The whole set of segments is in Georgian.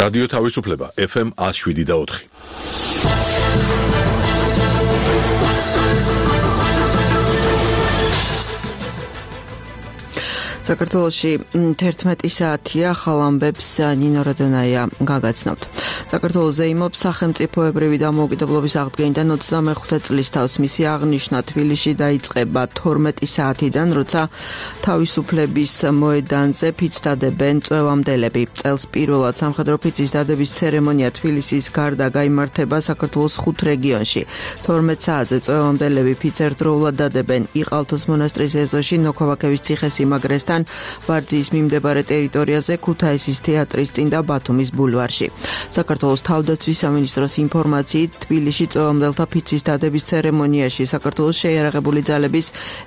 რადიო თავისუფლება FM 107.4. საქართველოში 11 საათია, ახალ ამბებს ნინო რადონაია გაგაცნობთ. საქართველოს ზეიმობს სახელმწიფოებრივი დამოუკიდებლობის აღდგენიდან 25 წლის თავს. მისი აღნიშვნა თბილისში დაიწყება 12 საათიდან, როცა თავისუფლების მოედანზე ფიცს დადებენ წვევამდელები. წელს პირველად სამხედრო ფიცის დადების ცერემონია თბილისის გარდა გაიმართება საქართველოს 5 რეგიონში. 12 საათზე წვევამდელები ფიცს ერთდროულად დადებენ იყალთოს მონასტრის ეზოში, ნოქოლაკევის ციხესიმაგრესთან, ვარძიის მიმდებარე ტერიტორიაზე, ქუთაისის თეატრის წინ და ბათუმის ბულვარში. საქართველოს თავდაცვის სამინისტროს ინფორმაციით, თბილისში წვევამდელთა ფიცის დადების ცერემონიაში საქართველოს შეიარაღებული ძალების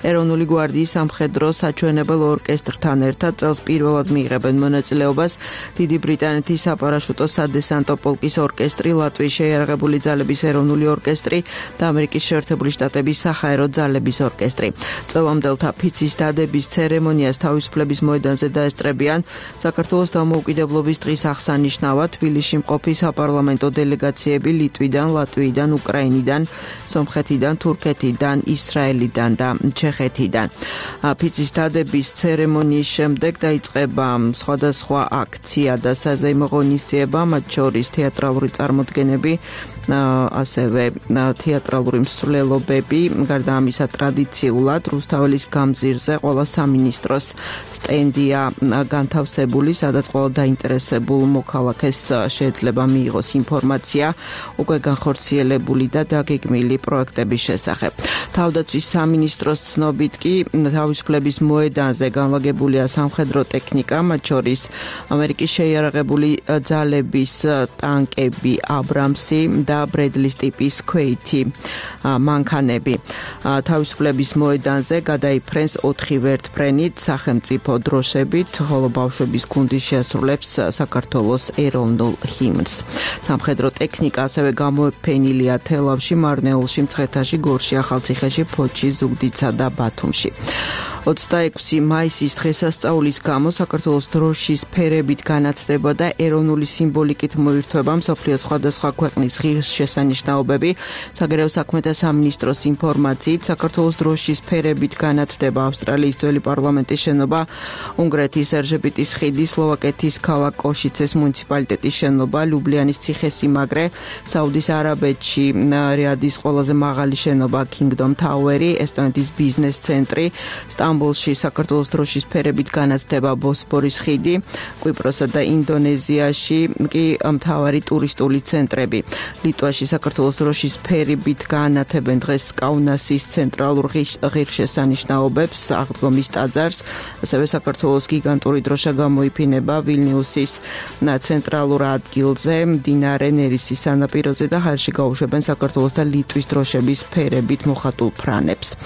ეროვნული გვარდიის სამხედრო საჩვენებელ ორკესტრთან ერთად წელს პირველად მიიღებენ მონაწილეობას დიდი ბრიტანეთის საპარაშუტო სადესანტო პოლკის ორკესტრი, ლატვიის შეიარაღებული ძალების ეროვნული ორკესტრი და ამერიკის შეერთებული შტატების საჰაერო ძალების ორკესტრი. წვევამდელთა ფიცის დადების ცერემონიას თავისუფლების მოედანზე დაესწრებიან საქართველოს დამოუკიდებლობის დღის აღსანიშნავად თბილისში მყოფი საპარლამენტო დელეგაციები ლიტვიდან, ლატვიიდან, უკრაინიდან, სომხეთიდან, თურქეთიდან, ისრაელიდან და ჩეხეთიდან. ფიცის დადების ცერემონიის შემდეგ დაიწყება სხვადასხვა აქცია და საზეიმო ღონისძიება, მათ შორის თეატრალური წარმოდგენები, ასევე თეატრალური მსვლელობები. გარდა ამისა, ტრადიციულად რუსთაველის გამზირზე ყველა სამინისტროს სტენდია განთავსებული, სადაც ყველა დაინტერესებულ მოქალაქეს შეიძლება მიიღოს ინფორმაცია უკვე განხორციელებული და დაგეგმილი პროექტების შესახებ. თავდაცვის სამინისტროს ცნობით კი თავისუფლების მოედანზე განლაგებულია სამხედრო ტექნიკა, მათ შორის ამერიკის შეიარაღებული ძალების ტანკები აბრამსი და ბრედლის ტიპის ქვეითი მანქანები. თავისუფლების მოედანზე გადაიფრენს 4 ვერტმფრენით სახელმწიფო დროშებით, ხოლო ბავშვების გუნდი შეასრულებს საქართველოს ეროვნულ ჰიმნს. სამხედრო ტექნიკა ასევე გამოეფენილია თელავში, მარნეულში, მცხეთაში, გორში, ახალციხეში, ფოთში, ზუგდიდსა და ბათუმში. 26 მაისის დღესასწაულის გამო საქართველოს დროშის ფერებით განათდება და ეროვნული სიმბოლიკით მოირთვება მსოფლიოს სხვადასხვა ქვეყნის ღირსშესანიშნაობები. საგარეო საქმეთა სამინისტროს ინფორმაციით, საქართველოს დროშის ფერებით განათდება ავსტრალიის ძველი პარლამენტის შენობა, უნგრეთის ერჟებიტის ხიდი, სლოვაკეთის ქალაქ კოშიცეს მუნიციპალიტეტის შენობა, ლიუბლიანის ციხესიმაგრე, საუდის არაბეთში რიადის ყველაზე მაღალი შენობა Kingdom Tower-ი, ესტონეთის ბიზნეს ცენტრი, სტამბოლში საქართველოს დროშის ფერებით განათდება ბოსფორის ხიდი, კვიპროსსა და ინდონეზიაში კი მთავარი ტურისტული ცენტრები. ლიტვაში საქართველოს დროშის ფერებით განათებენ დღეს კაუნასის ცენტრალურ ღირსშესანიშნაობებს, აღდგომის ტაძარს, ასევე საქართველოს გიგანტური დროშა გამოიფინება ვილნიუსის ცენტრალურ ადგილზე, მდინარე ნერისის სანაპიროზე და ჰაერში გაუშვებენ საქართველოს და ლიტვის დროშების ფერებით მოხატულ ფრანებს.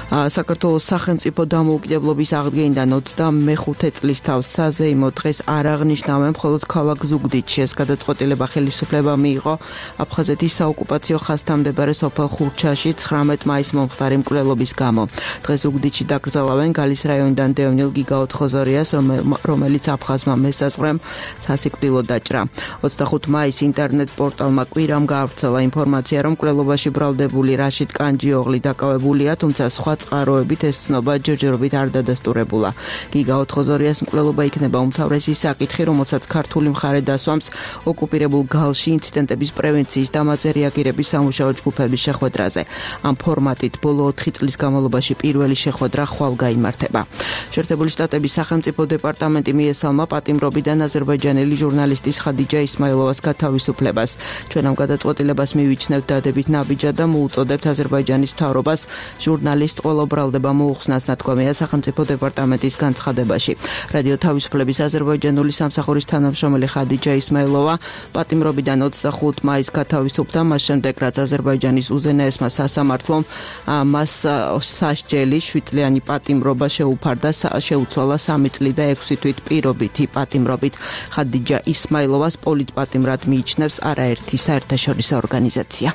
საქართველოს სახელმწიფო დამოუკიდებლობის აღდგენიდან 25 წლის თავს საზეიმო დღეს არ აღნიშნავენ მხოლოდ ქალაქ ზუგდიდში. ეს გადაწყვეტილება ხელისუფლება მიიღო აფხაზეთის საოკუპაციო ხაზთამდებარე სოფელ ხურჩაში 19 მაისს მომხდარი მკვლელობის გამო. დღეს ზუგდიდში დაკრძალავენ გალის რაიონიდან დევნილ გიგა ოთხოზორიას, რომელიც აფხაზმა მესაზღვრემ სასიკვდილო დაჭრა. 25 მაისს ინტერნეტ პორტალმა კვირამ გაავრცელა ინფორმაცია, რომ მკვლელობაში ბრალდებული რაშიდ კანჯიოღლი დაკავებულია, თუმცა სხვა წყაროებით ეს ცნობა ჯერჯერობით არ დადასტურებულა. გიგა ოთხოზორიას მკვლელობა იქნება უმთავრესი საკითხი, რომელსაც ქართული მხარე დასვამს ოკუპირებულ გალში ინციდენტების პრევენციის და მათზე რეაგირების სამუშაო ჯგუფების შეხვედრაზე. ამ ფორმატით ბოლო 4 წლის განმავლობაში პირველი შეხვედრა ხვალ გაიმართება. შეერთებული შტატების სახელმწიფო დეპარტამენტი მიესალმა პატიმრობიდან აზერბაიჯანელი ჟურნალისტის ხადიჯა ისმაილოვას გათავისუფლებას. ჩვენ ამ გადაწყვეტილებას მივიჩნევთ დადებით ნაბიჯად და მოუწოდებთ აზერბაიჯანის მთავრობას ჟურნალისტს ყველა ბრალდება მოუხსნას, ნათქვამია სახელმწიფო დეპარტამენტის განცხადებაში. რადიო თავისუფლების აზერბაიჯანული სამსახურის თანამშრომელი ხადიჯა ისმაილოვა პატიმრობიდან 25 მაისს გათავისუფლდა, მას შემდეგ რაც აზერბაიჯანის უზენაესმა სასამართლომ მას სასჯელი 7 წლიანი პატიმრობა შეუფარდა, შეუცვალა 3 წლი და 6 თვით პირობითი პატიმრობით. ხადიჯა ისმაილოვას პოლიტპატიმრად მიიჩნევს არაერთი საერთაშორისო ორგანიზაცია.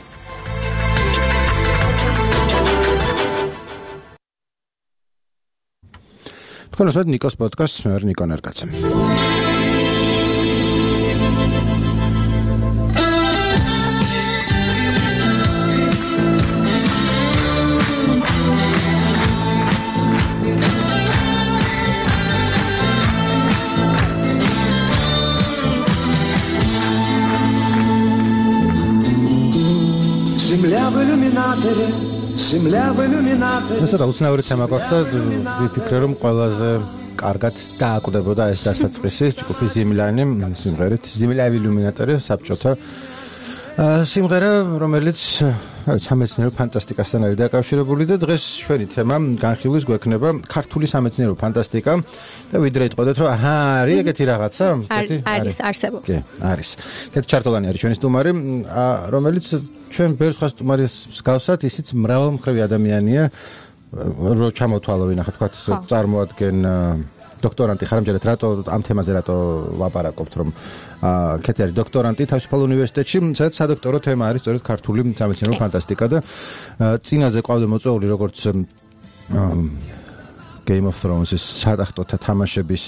თქვენ ასეთ ნიკოს პოდკასტს მე ვარ ნიკო ნერგაცემ. ესა უცნაური თემა გვაქვს და ვიფიქრე რომ ყველაზე კარგად დააკვდებოდა ეს დასაწყისი ჯგუფის ზიმლანი სიმღერით ზიმლავი ილუმინატორი საბჭოთა სიმღერა რომელიც სამეცნიერო ფანტასტიკასთან არის დაკავშირებული და დღეს ჩვენი თემა განხილვის გვექნება ქართული სამეცნიერო ფანტასტიკა და ვიდრე იტყოდეთ რომ არის ეგეთი რაღაცა არის არსებობს არის კეთ ჩარტოლანი არის ჩვენი სტუმარი რომელიც ჩვენ ბევრ სხვა სტუმარის მსგავსად ისიც მრავალმხრივი ადამიანია რო ჩამოთვალო ვინახა თქვა წარმოადგენ დოქტორანტი ხარამჯერად რატო ამ თემაზე რატო ვაპარაკობთ რომ კეთი არის დოქტორანტი თავისუფალ უნივერსიტეტში სადაც სადოქტორო თემა არის სწორედ ქართული სამეცნიერო ფანტასტიკა და წინაზე ყავდა მოწვეული როგორც Game of Thrones-ის სადახტოთა თამაშების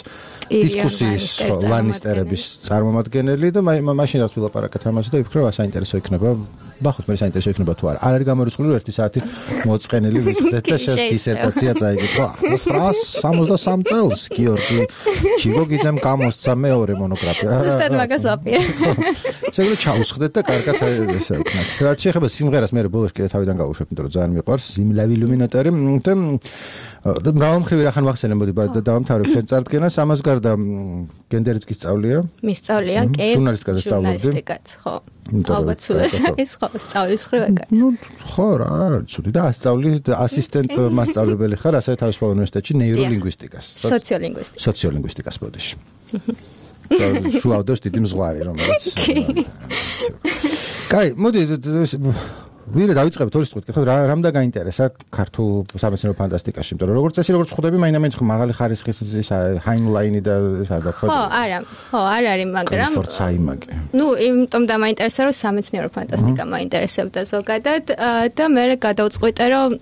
დისკუსიის ლანისტერების წარმომადგენელი და მაშინ რაც ვილაპარაკეთ ამაზე და ვიფიქრე რომ საინტერესო იქნება ნახოთ მე საინტერესო იქნება თუ არა არის გამორიცხული 1 საათი მოწყენილი ვიწყდეთ და შენ დისერტაცია წაიგეთ 163 წელს გიორგი ჩიგოგიძემ გამოსცა მეორე მონოგრაფია ზუსტად მაგას ვაპირე შეგვიძლია ჩაუსხდეთ და კარგად ესე ვქნათ რაც შეეხება სიმღერას მე ბოლოს კიდე თავიდან გავუშვებ იმიტომ რომ ძალიან მიყვარს ზიმლავი ილუმინატორი და მრავალმხრივი რახან ვახსენე მოდი დავამთავრებ შენ წარდგენას ამას გარდა გენდერიც კი სწავლია მისწავლია კი ჟურნალისტიკაც ხო ალბათ სულაც არის ხო სწავლის ხრევაკაც ნუ ხო რა არის ცუდი და ასწავლი ასისტენტ მასწავლებელი ხარ ასევე თავისუფალ უნივერსიტეტში ნეიროლინგვისტიკას სოციოლინგვისტიკას ბოდიში შუავდოს დიდი მზღვარი რომელიც კაი მოდი ვირა დავიწყებთ ორი სიტყვით ხო რამდა გაინტერესა ქართულ სამეცნიერო ფანტასტიკაში იმიტომ რომ როგორც წესი როგორც ხვდები მაინც მაღალი ხარისხის ის ჰაინლაინი და საერთოდ ხო არ არის მაგრამ ნუ იმიტომ დამაინტერესა რომ სამეცნიერო ფანტასტიკა მაინტერესებდა ზოგადად და მე გადავწყვიტე რომ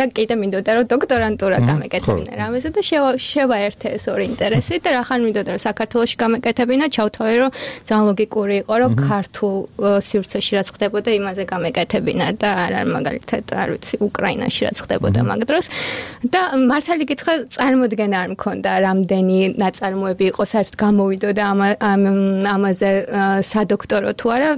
და კიდე მინდოდა რომ დოქტორანტურა გამეკეთებინა რამეზე და შევაერთე ეს ორი ინტერესი და რახან მინდოდა რომ საქართველოში გამეკეთებინა ჩავთვალე რომ ძალიან ლოგიკური იყო რომ ქართულ სივრცეში რაც ხდებოდა იმაზე გამეკეთებინა და არა მაგალითად არ ვიცი უკრაინაში რაც ხდებოდა მაგ დროს და მართალი გითხრა წარმოდგენა არ მქონდა რამდენი ნაწარმოები იყო საერთოდ გამოვიდოდა ამაზე სადოქტორო თუ არა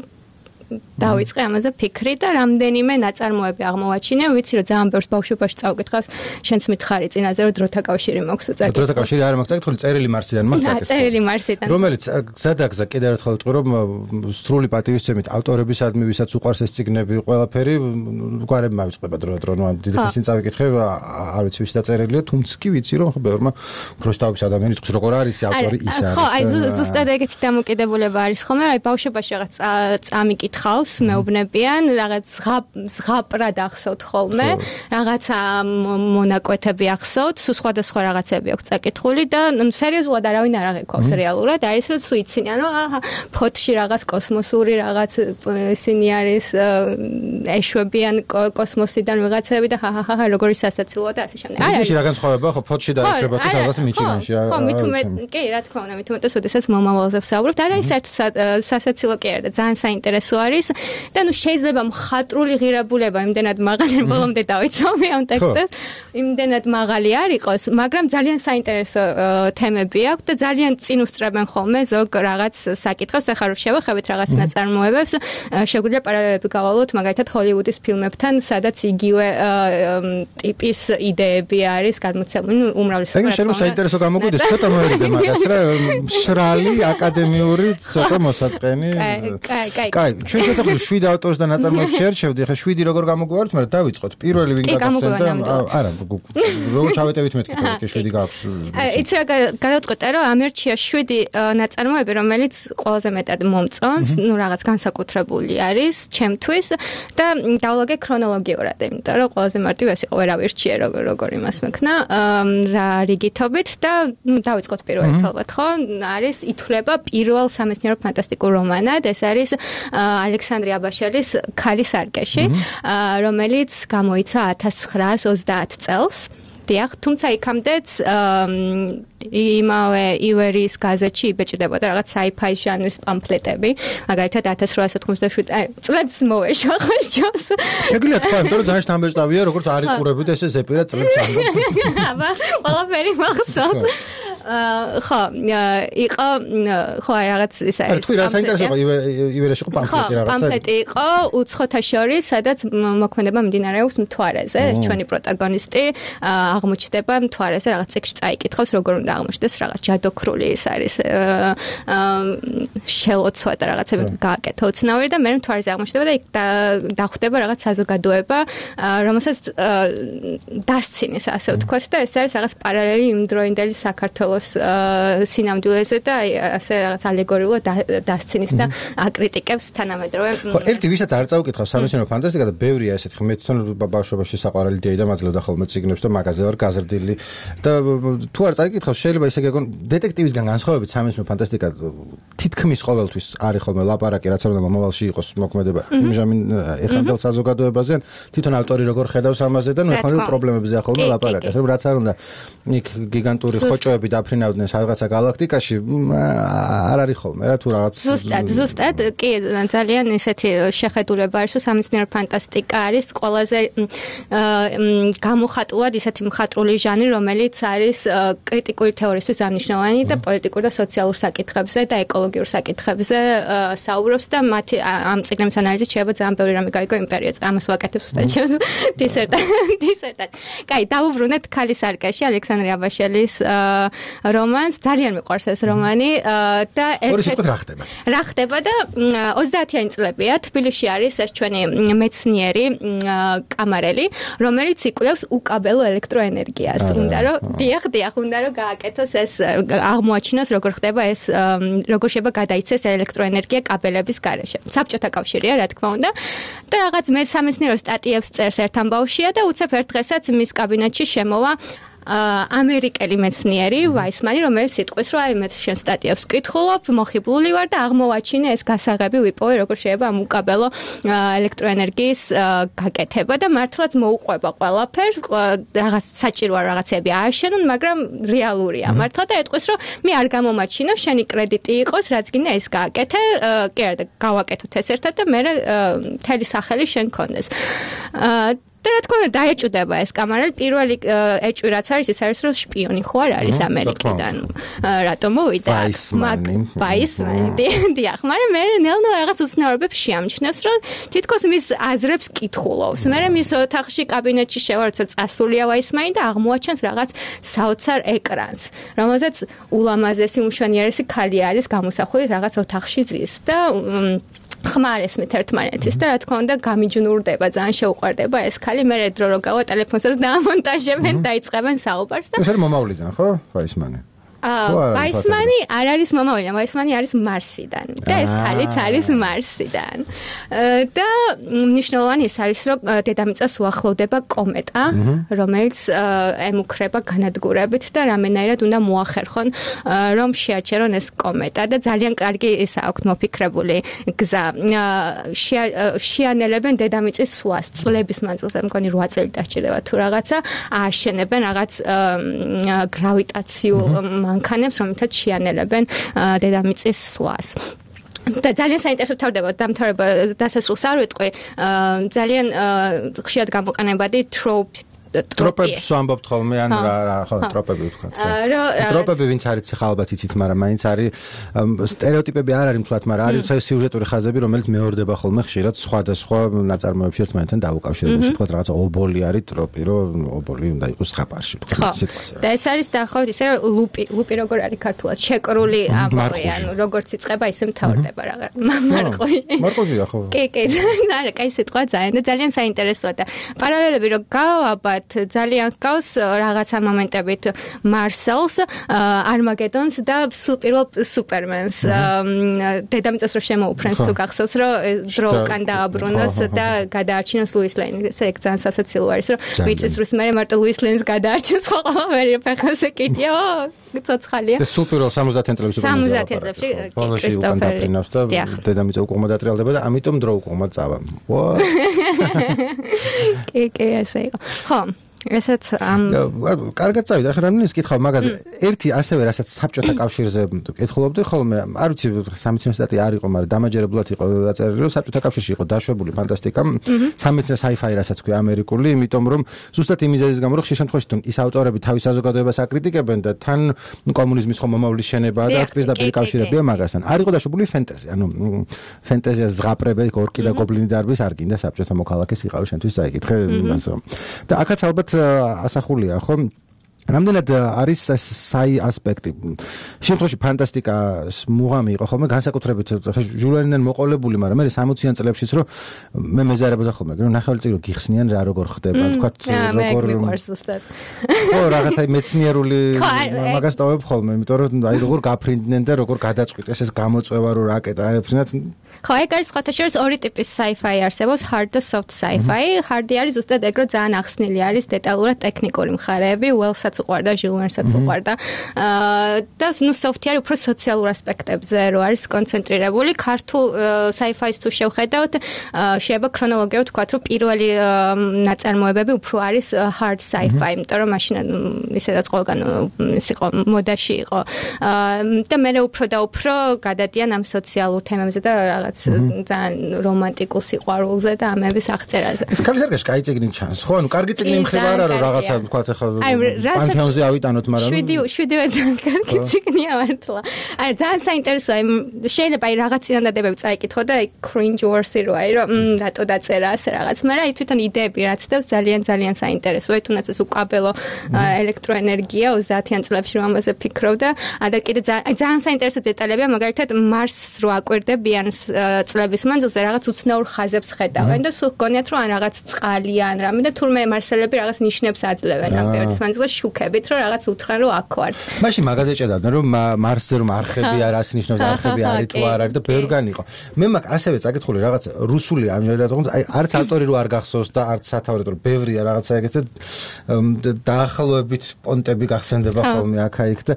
დავიწყე ამაზე ფიქრი და რამდენიმე ნაწარმოები აღმოვაჩინე, ვიცი რომ ძალიან ბევრს ბავშვობაში წავკითხავს, შენც მითხარი წინაზე რომ დროთა კავშირი მაქვს უწაკითხო. დროთა კავშირი არ მაქვს წაკითხული, წერილი მარსიდან მაქვს წაკითხული. წერილი მარსიდან. რომელიც გზადაგზა კიდევ ერთხელ ვიტყვი რომ სრული პატივისცემით ავტორებისადმი ვისაც უყვარს ეს წიგნები ყველაფერი გვარები მავიწყდება დრო ნუ დიდი ხნისინ წავიკითხე არ ვიცი ვის დაწერილია, თუმცა კი ვიცი რომ ბევრმა ქროსტავის ადამიანი იტყვის როგორ არის ავტორი ის არის. ხო, აი ზუსტად ეგეთი დამოკიდებულება არის ხოლმე, აი ბავშვობაში რაღაც წამიკითხავს მეუბნებიან, რაღაც ზღაპრად ახსოვთ ხოლმე, რაღაცა მონაკვეთები ახსოვთ, სხვადასხვა რაღაცები აქვს წაკითხული და სერიოზულად არავინ არ აღიქვავს რეალურად, არის რომ თუ იცინიან, რომ ფოთში რაღაც კოსმოსური რაღაც ისინი არის ეშვებიან კოსმოსიდან ვიღაცები და ხა როგორი სასაცილოა და ასე შემდეგ. არ არის რა განსხვავება ხო ფოთში და ეშვება თუ რაღაც მიჩიგანში ხო კი რა თქმა უნდა მithumetes ოდესაც მომავალზე ვსაუბრობთ არ არის საერთოდ სასაცილო კი არა და ძალიან საინტერესო არის და ნუ შეიძლება მხატვრული ღირებულება იმდენად მაღალი ბოლომდე დავიცავი ამ ტექსტს იმდენად მაღალი არ იყოს მაგრამ ძალიან საინტერესო თემები აქვს და ძალიან წინ უსწრებენ ხოლმე ზოგ რაღაც საკითხს ახლა რომ შევეხებით რაღაც ნაწარმოებებს შეგვიძლია პარალელები გავალოთ მაგალითად ჰოლივუდის ფილმებთან სადაც იგივე ტიპის იდეები არის გადმოცემული ნუ უმრავლესობა ეგ შეიძლება საინტერესო გამოგვიდეს ცოტა მოერიდე მაგას რა შრალი აკადემიური ცოტა მოსაწყენი კაი ჩვენ ცოტა 7 ავტორს და ნაწარმოებს შეერჩევდი ახლა 7 როგორ გამოგვივართ მაგრამ დავიწყოთ პირველი ვინ გაგაცემდა არა როგორ ჩავეტევით მეთქი თორე 7 გაქვს იცი რა გადავწყვეტე რომ ამერჩია 7 ნაწარმოები რომელიც ყველაზე მეტად მომწონს ნუ რაღაც განსაკუთრებული არის ჩემთვის და დავლაგე ქრონოლოგიურად იმიტომ რომ ყველაზე მარტივი იყო ვერავირჩიე როგორ იმას მექნა რა რიგითობით და ნუ დავიწყოთ პირველი ალბათ ხო არის ითვლება პირველ სამეცნიერო ფანტასტიკურ რომანად ეს არის ალექსანდრე აბაშელის ქალის არკეში რომელიც გამოიცა 1930 წელს დიახ თუმცა იქამდეც იმავე ივერის გაზეთში იბეჭდებოდა რაღაც sci-fi ჟანრის პამფლეტები მაგალითად 1897 წლებს მოვეშვა ხო შოს შეგვიძლია თქვა იმიტომ რომ ძალიან შთამბეჭდავია როგორც არ იყურები და ესე ზეპირად წლებს ამბობ აბა ყველაფერი მახსოვს ხო, იყო ხო რაღაც ისა ეს. თქვი რა საინტერესოა ივერიაში იყო პამფლეტი რაღაცა. პამფლეტი იყო უცხოთა შორის, სადაც მოქმედება მიმდინარეობს მთვარეზე. ჩვენი პროტაგონისტი აღმოჩნდება მთვარეზე, რაღაც წიგნში წაიკითხავს, როგორ უნდა აღმოჩნდეს რაღაც ჯადოქრული ის არის შელოცვა და რაღაცები გააკეთო უცნაური და მე მთვარეზე აღმოჩნდება და იქ დახვდება რაღაც საზოგადოება, რომელსაც დასცინის ასე ვთქვათ და ეს არის რაღაც პარალელი იმდროინდელი საქართველოს სინამდვილეზე და ასე რაღაც ალეგორიულად დასცინის და აკრიტიკებს თანამედროვე. ხო, ერთი ვისაც არ წაუკითხავს სამეცნიერო ფანტასტიკა და ბევრია ესეთი. მე თვითონ ბავშვობაში საყვარელი დიაიდა მაძლევდა ხოლმე წიგნებს და მაგაზე ვარ გაზრდილი და თუ არ წაიკითხავს შეიძლება ისე გეგონ დეტექტივისგან განსხვავებით სამეცნიერო ფანტასტიკა თითქმის ყოველთვის არის ხოლმე ლაპარაკი რაც არ უნდა მომავალში იყოს მოქმედება იმჟამინ ეხანდელ საზოგადოებაზე თვითონ ავტორი როგორ ხედავს ამაზე და ნუ ეხანდელ პრობლემებზე ახალმე ლაპარაკი ასე რომ რაც არ უნდა იქ გიგანტური ხოჭოები დაფრინავდნენ რაღაცა galaktikაში არ არის ხოლმე რა თუ რაღაც ზუსტად კი ძალიან ისეთი შეხედულება არის რომ სამეცნიერო ფანტასტიკა არის ყველაზე გამოხატულად ისეთი მხატვრული ჟანრი რომელიც არის კრიტიკული თეორიისთვის აღნიშნავანი და პოლიტიკურ და სოციალურ საკითხებზე და ეკოლოგიურ საკითხებზე საუბრობს და მათი ამ წიგნების ანალიზით შეიძლება ძალიან ბევრი რამე გაიგო იმპერიაც ამას ვაკეთებ უბრალოდ ჩემს დისერტად. კაი, დავუბრუნეთ ქალის არკაში ალექსანდრე აბაშელის რომანს. ძალიან მიყვარს ეს რომანი და რა ხდება და 30-იანი წლებია თბილისში არის ეს ჩვენი მეცნიერი კამარელი, რომელიც იკვლევს უკაბელო ელექტროენერგიას. უნდა რომ დიახ, უნდა რომ გააკეთოს ეს აღმოაჩინოს როგორ ხდება ეს როგორ შეიძლება გადაიცეს ელექტროენერგია კაბელების გარეშე. საბჭოთა კავშირია, რა თქმა უნდა. და რაღაც მე სამეცნიერო სტატიებს წერს ერთ ამბავშია და უცებ ერთ დღესაც მის კაბინეტში შემოვა ამერიკელი მეცნიერი ვაისმანი, რომელიც იტყვის, რომ აი მე შენ სტატიებს ვკითხულობ, მოხიბლული ვარ და აღმოვაჩინე ეს გასაღები ვიპოვე, როგორ შეიძლება ამ უკაბელო ელექტროენერგიის გაკეთება და მართლაც მოუყვება ყველაფერს, რაღაც საჭიროა რაღაცები ააშენონ, მაგრამ რეალურია მართლა და ეტყვის, რომ მე არ გამომაჩინო, შენი კრედიტი იყოს, რაც გინდა ეს გააკეთე, კი არა და გავაკეთოთ ეს ერთად და მე მთელი სახელი შენ გქონდეს. და რა თქმა უნდა დაეჭვდება ეს კამარელი პირველი ეჭვი რაც არის ის არის რომ შპიონი ხო არ არის ამერიკიდან რატომ მოვიდა ვაისმანი დიახ მაგრამ მე ნელ-ნელა რაღაც უცნაურობებს შეამჩნევს რომ თითქოს მის აზრებს კითხულობს მე მის ოთახში კაბინეტში შევა როცა წასულია ვაისმანი და აღმოაჩენს რაღაც საოცარ ეკრანს რომელზეც ულამაზესი მშვენიერესი ქალი არის გამოსახული რაღაც ოთახში ზის და ხმარეს მე ერთმანეთის და რა თქმა უნდა გამიჯნურდება ძალიან შეუყვარდება ეს ქალი მე დრო რო გავა ტელეფონსაც დაამონტაჟებენ დაიწყებენ საუბარს და ეს არის მომავლიდან ხო ვაისმანი ვაისმანი არ არის მომავლიდან ვაისმანი არის მარსიდან და ეს ქალიც არის მარსიდან და მნიშვნელოვანი ის არის რომ დედამიწას უახლოვდება კომეტა რომელიც ემუქრება განადგურებით და რამენაირად უნდა მოახერხონ რომ შეაჩერონ ეს კომეტა და ძალიან კარგი ის აქვს მოფიქრებული გზა შეანელებენ დედამიწის სვლას წლების მანძილზე მგონი 8 წელი დასჭირდება თუ რაღაცა ააშენებენ რაღაც გრავიტაციულ მანქანებს, რომელთაც შეანელებენ დედამიწის სვლას. და ძალიან საინტერესო თავდება დამთავრება დასასრულს არ ვიტყვი. ძალიან ხშირად გამოყენებადი ტროპებს ვამბობთ ხოლმე ან რა ხო ტროპები ვთქვათ. ტროპები ვინც არის ხა ალბათ იცით, მაგრამ მაინც არის სტერეოტიპები არ არის მთლად, მაგრამ არის სიუჟეტური ხაზები, რომელიც მეორდება ხოლმე ხშირად სხვადასხვა ნაწარმოებში ერთმანეთთან დაუკავშირებულში, ვთქვათ რაღაცა ობოლი არის ტროპი, რომ ობოლი უნდა იყოს ზღაპარში, ვთქვათ სიტყვაზე. და ეს არის დაახლოებით ისე რომ ლუპი როგორ არის ქართულად, შეკრული ამბავი, ანუ როგორც იწყება, ისე მთავრდება რაღაც მარყოში. მარყოშია ხო? კი, არა, კაი სიტყვა ძალიან და ძალიან საინტერესოა და პარალელები რომ გავაბად ძალიან გავს რაღაცა მომენტებით მარსელს, არმაგედონს და პირველ სუპერმენს. დედამიწას რო შემოუფრენს თუ გახსოვს რომ დრო უკან დააბრუნოს და გადაარჩინოს ლუის ლეინი. ესე ძალიან სასაცილო არის რომ ვიცის რომ მე მარტო ლუის ლეინს გადაარჩენს ყველაფერი ფეხაზე კიდია. ცოცხალია. და სუპერულ 70-იან წლებში 70-იან წლებში კრისტოფერი და დედამიწა უკუღმა დატრიალდება და ამიტომ დრო უკუღმა წავა. კი, ესე იყო. ხო ესეც კარგად წავიდა, ახლა რამდენიც კითხავ მაგაზე. ერთი ასევე რასაც საბჭოთა კავშირზე კითხულობდი ხოლმე, არ ვიცი სამეცნიერო სტატია არ იყო, მაგრამ დამაჯერებლად იყო დაწერილი, რომ საბჭოთა კავშირში იყო დაშვებული ფანტასტიკა, სამეცნიერო sci-fi რასაც ქვია ამერიკული, იმიტომ რომ ზუსტად იმ მიზეზის გამო რომ ხშირ შემთხვევაში თუ ის ავტორები თავის საზოგადოებას აკრიტიკებენ და თან კომუნიზმის ხომ მომავლის შენება და პირდაპირ კავშირებია მაგასთან. არ იყო დაშვებული ფენტეზი, ანუ ფენტეზიას ზღაპრები, ორკი და გობლინი დარბის არ გინდა საბჭოთა მოქალაქეს იყავი შენთვის წაიკითხე იმას რომ. და აქაც ალბათ ასახულია ხო რამდენად არის საი ასპექტი. შემთხვევაში ფანტასტიკას მუღამი იყო ხოლმე განსაკუთრებით ჟულენიდან მოყოლებული, მაგრამ მე 60-იან წლებშიც რომ მე მეზარებოდა ხოლმე, რომ ნახევარი წელი გიხსნიან რა როგორ ხდება, თქვათ როგორ ხო რაღაცა მეცნიერული მაგას ტოვებ ხოლმე, იმიტომ რომ აი როგორ გაფრინდნენ და როგორ გადაწყვიტეს ეს გამოწვევა რომ რაკეტა აეფრინათ. ხო, ეგ არის სხვათა შორის ორი ტიპის sci-fi არსებობს, hard და soft sci-fi. Hard-ი არის ზუსტად ეგ, რომ ძალიან ახსნილი არის დეტალურად ტექნიკური მხარეები, well-საც უყვარდა, ჟილვერნსაც უყვარდა. და ნუ soft-ი არის უფრო სოციალურ ასპექტებზე, რო არის კონცენტრირებული. ქართულ sci-fi-ს თუ შევხედავთ, შეიძლება ქრონოლოგიურად ვთქვათ, რომ პირველი ნაწარმოებები უფრო არის hard sci-fi, იმიტომ რომ მაშინ ისედაც ყველგან ის იყო მოდაში იყო. და მე უფრო და უფრო გადადიან ამ სოციალურ თემებზე და ძალიან რომანტიკულ სიყვარულზე და ამების აღწერაზე. ეს კალისერგაში კაი წიგნი ჩანს. ხო, ანუ კარგი წიგნი მხრივ არა რომ რაღაცა ვთქვათ ახლა პანთეონზე ავიტანოთ, მაგრამ 7 ძალიან კარგი წიგნია მართლა. აი ძალიან საინტერესოა, შეიძლება აი რაღაც წინადადებები წაიკითხო და აი cringe worthy რო აი რომ რატო დაწერა ასე რაღაც, მაგრამ აი თვითონ იდეები რაც დავს ძალიან საინტერესოა, თუნდაც ეს უკაბელო ელექტროენერგია 30-იან წლებში რომ ამაზე ფიქრობ და და კიდე ძალიან საინტერესო დეტალებია, მაგალითად მარსს რო აკვირდებიან წლების მანძილზე რაღაც უცნაურ ხაზებს ხედავენ და სულ გონიათ რომ რაღაც წყალი ან რამე და თურმე მარსელები რაღაც ნიშნებს აძლევენ ამ პერიოდის მანძილზე შუქებით რომ რაღაც უთხრან რომ აქ ვართ. მაშინ მაგაზე ჭედავდნენ რომ მარსზე რომ არხები არას ნიშნავს არხები არის თუ არ არის და ბევრგან იყო. მე მაგ ასევე წაკითხული რაღაც რუსული ამჟამად აი არც ავტორი რო არ გახსოვს და არც სათაურით რომ ბევრია რაღაცა ეგეთ დაახლოებით პონტები გახსენდება ხოლმე აქა-იქ და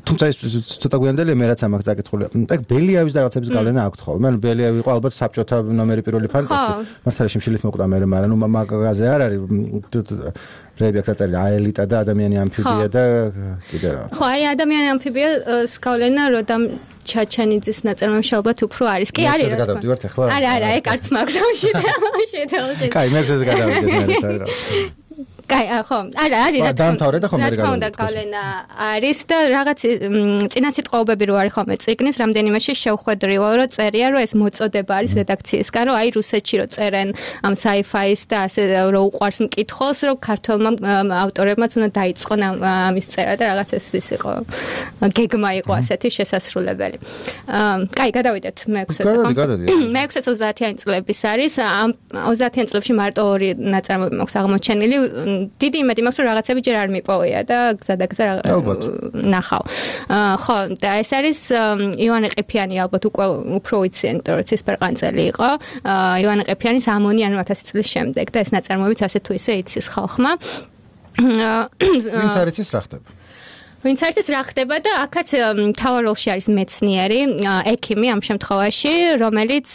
თუმცა ეს ცოტა გვიანდელია მე რაც ამას წაკითხული. ეგ ბელიავის და რაღაცების გავლენა აქვს ხოლმე. ანუ ბელიავი იყო ალბათ საბჭოთა ნომერი პირველი ფანტასტი. მართალია შიმშილით მოკვდა მე, მაგრამ ნუ მაგაზე არ არის რეები აქ დაწერილი აელიტა და ადამიანი ამფიბია და კიდე რა. ხო, აი ადამიანი ამფიბია გავლენა როდამ ჩაჩანიძის ნაწარმოებში ალბათ უფრო არის. კი არის. ეს გადავდივართ ახლა. არა, ეგ არც მაქვს ამში. კაი, მე ეს გადავიდეს მე რა. კაი, ხო, არა, არის რა თქმა უნდა გავლენა არის და რაღაც წინასიტყვაობები რო არის ხოლმე წიგნის რამდენიმეში შევხვედრიო რომ წერია რომ ეს მოწოდება არის რედაქციისგან რომ აი რუსეთში რო წერენ ამ sci-fi-ს და ასე რო უყვარს მკითხველს რომ ქართველმა ავტორებმაც უნდა დაიწყონ ამის წერა და რაღაც ეს იყო გეგმა იყო ასეთი შესასრულებელი. კაი, გადავიდეთ მე-6-ზე ხო? მე-6-ზე 30-იან წლების არის. ამ 30-იან წლებში მარტო ორი ნაწარმოები მაქვს აღმოჩენილი. დიდი იმედი მაქვს რომ რაღაცები ჯერ არ მიპოვია და გზადაგზა ნახავ. ხო, და ეს არის ივანე ყიფიანი ალბათ უკვე უფრო ვიციან, იმიტომ რომ ცისფერყანწელი იყო. ივანე ყიფიანის ამონი ანუ 1000 წლის შემდეგ და ეს ნაწარმოებიც ასე თუ ისე იცის ხალხმა. ვინც არ იცის რა ხდება? ვინც არის რა ხდება და აქაც მთავარ როლში არის მეცნიერი, ექიმი ამ შემთხვევაში, რომელიც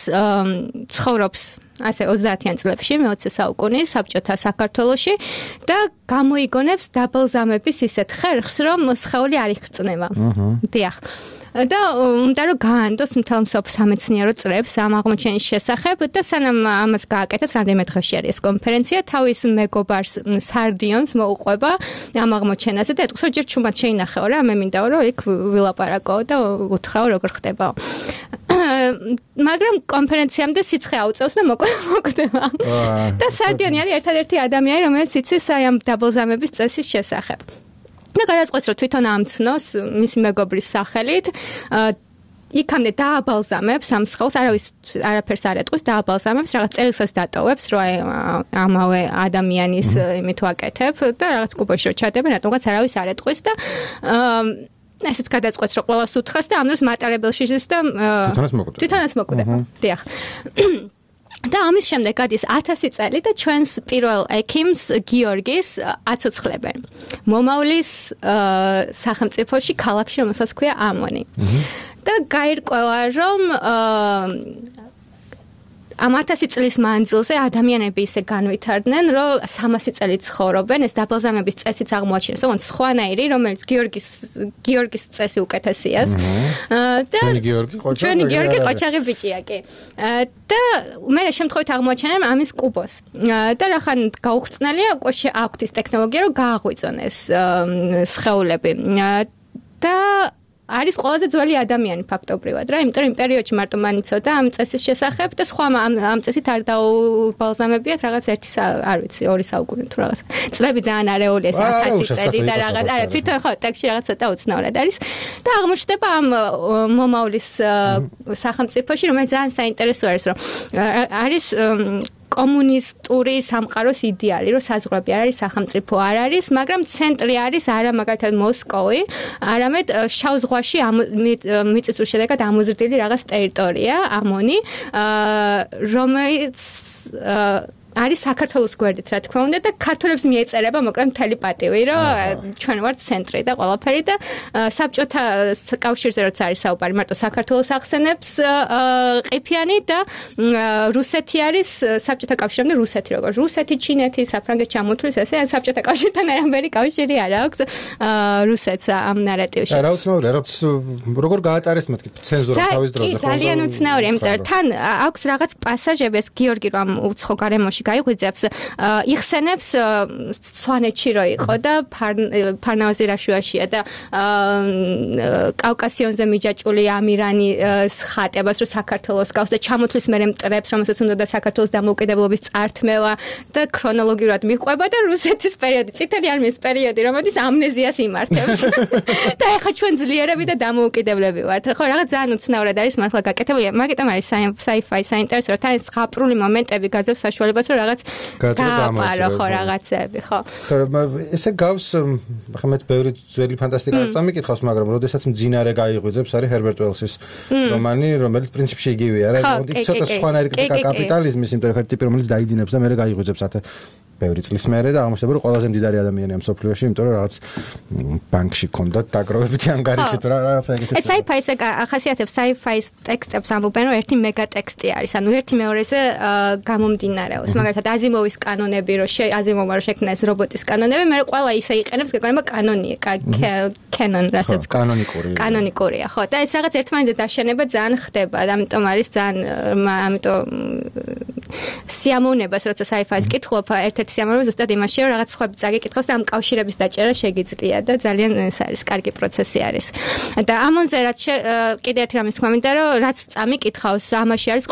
ცხოვრობს ასე 30-იან წლებში მე-20 საუკუნის საბჭოთა საქართველოში და გამოიგონებს დაბალზამების ისეთ ხერხს, რომ სხეული არ იხრწნება. დიახ. და უნდა რომ გაანდოს მთელ სამეცნიერო წრებს ამ აღმოჩენის შესახებ და სანამ ამას გააკეთებს რამდენიმე დღეში არის ეს კონფერენცია თავის მეგობარს სარდიონს მოუყვება ამ აღმოჩენაზე და ეტყვის რომ ჯერ ჩუმად შეინახეო რა მე მინდაო რომ იქ ვილაპარაკო და უთხრაო როგორ ხდებაო მაგრამ კონფერენციამდე სიცხე აუწევს და მოკვდება და სარდიონი არის ერთადერთი ადამიანი რომელიც იცის აი ამ დაბალზამების წესის შესახებ და გადაწყვეტს რომ თვითონ ამცნოს მისი მეგობრის სახელით იქამდე დააბალზამებს ამ სხეულს არაფერს არ ეტყვის დააბალზამებს რაღაც წელსაც დატოვებს რომ ამავე ადამიანის იმით ვაკეთებ და რაღაც კუბოში რომ ჩადებენ რატომღაც არავის არ ეტყვის და ესეც გადაწყვეტს რომ ყველას უთხრას და ამ დროს მატარებელში ჟის და თვითონაც მოკვდება დიახ და ამის შემდეგ გადის 1000 წელი და ჩვენს პირველ ექიმს გიორგის აცოცხლებენ. მომავლის სახელმწიფოში ქალაქში რომელსაც ქვია ამონი. და გაირკვევა რომ ამ 1000 წლის მანძილზე ადამიანები ისე განვითარდნენ, რომ 300 წელი ცხოვრობენ, ეს დაბალზამების წესიც აღმოაჩინეს. ოღონდ სხვანაირი, რომელიც გიორგის წესი უკეთესია. და ჩვენი გიორგი ყოჩაღი ბიჭია კი. და მე შემთხვევით აღმოაჩენენ ამის კუბოს. და რახან გაუხრწნელია, უკვე აქვთ ის ტექნოლოგია, რომ გააღვიძონ ეს სხეულები. და არის ყველაზე ძველი ადამიანი ფაქტობრივად რა, იმიტომ რომ იმ პერიოდში მარტო მან იცოდა ამ წესის შესახებ და სხვა ამ წესით არ დაუბალზამებიათ რაღაც არ ვიცი 2 საუკუნე თუ რაღაც. წლები ძალიან არეულია ეს 1000 წელი და რაღაც არა თვითონ ხო ტექსტში რაღაც ცოტა უცნაურად არის და აღმოჩნდება ამ მომავლის სახელმწიფოში, რომელიც ძალიან საინტერესო არის, რომ არის კომუნისტური სამყაროს იდეალი, რომ საზღვრები არ არის, სახელმწიფო არ არის, მაგრამ ცენტრი არის არა მაგალითად მოსკოვი, არამედ შავ ზღვაში მიწისძვრის შედეგად ამოზრდილი რაღაც ტერიტორია, ამონი, რომელიც არის საქართველოს გვერდით, რა თქმა უნდა და ქართველებს მიეწერება მოკლედ მთელი პატივი, რომ ჩვენ ვართ ცენტრი და ყველაფერი და საბჭოთა კავშირზე როცა არის საუბარი, მარტო საქართველოს ახსენებს ყიფიანი და რუსეთი არის საბჭოთა კავშირამდე რუსეთი როგორც რუსეთი, ჩინეთი, საფრანგეთი ჩამოთვლის ესე საბჭოთა კავშირთან არამერი კავშირი არ აქვს რუსეთს ამ ნარატივში. რა უცნაურია, როგორ გაატარეს მეთქი ცენზურა თავის დროზე ხო? ძალიან უცნაურია, იმიტომ რომ თან აქვს რაღაც პასაჟები, ეს გიორგი რომ უცხო გარემოში გაიღვიძებს, იხსენებს სვანეთში რო იყო და ფარნავაზი რაშუაშია და კავკასიონზე მიჯაჭული ამირანის ხატებას რო საქართველოს გავს და ჩამოთვლის მერე მტრებს, რომელსაც უნდა და საქართველოს დამოუკიდებლობის წართმევა და ქრონოლოგიურად მიყვება და რუსეთის პერიოდი, წითელი არმიის პერიოდი, რომელიც ამნეზიას იმართებს. და ეხლა ჩვენ ძლიერები და დამოუკიდებლები ვართ. ხო, რაღაც ძალიან უცნაურად არის მართლა გაკეთებული. მაგიტომ არის sci-fi საინტერესო, რომ თან ეს ზღაპრული მომენტები გაძლევს საშუალებას, რომ რაღაც გააპარო ხო რაღაცები, ხო. ესე გავს, ხა მე ბევრი ძველი ფანტასტიკა წამიკითხავს, მაგრამ როდესაც მძინარე გაიღვიძებს, არის ჰერბერტ უელსის რომანი, რომელიც პრინციპში იგივეა, რა, ცოტა სხვანაირი კრიტიკა კაპიტალიზმის, იმიტომ რომ ერთი ტიპი რომელიც დაიძინებს და მერე გაიღვიძებს ბევრი წლის მერე და აღმოჩნდება რომ ყველაზე მდიდარი ადამიანია ამ სოფლიოში, იმიტომ რომ რაღაც ბანკში ქონდა დაგროვებითი ანგარიში თუ რაღაცა ეგეთი. ეს sci-fi ესე ახასიათებს sci-fi-ის ტექსტებს ამბობენ რომ ერთი მეგა ტექსტი არის, ანუ ერთი მეორეზე გამომდინარეობს. მაგალითად აზიმოვის კანონები რომ აზიმოვმა რომ შექმნა ეს რობოტის კანონები, მე ყველა ისე იყენებს, გეგონება კანონია, canon რასაც კანონიკურია, ხო. და ეს რაღაც ერთმანეთზე დაშენება ძალიან ხდება, ამიტომ არის ძალიან ამიტომ სიამოვნებას როცა sci-fi-ს კითხულობ, ერთ-ერთი სიამოვნება ზუსტად იმაშია, რომ რაღაც სხვები წაგეკითხავს და ამ კავშირების დაჭერა შეგიძლია და ძალიან ეს არის კარგი პროცესი არის. და ამონზე რაც კიდე ერთი რამის თქვა მინდა, რომ რაც წამიკითხავს, ამაში არის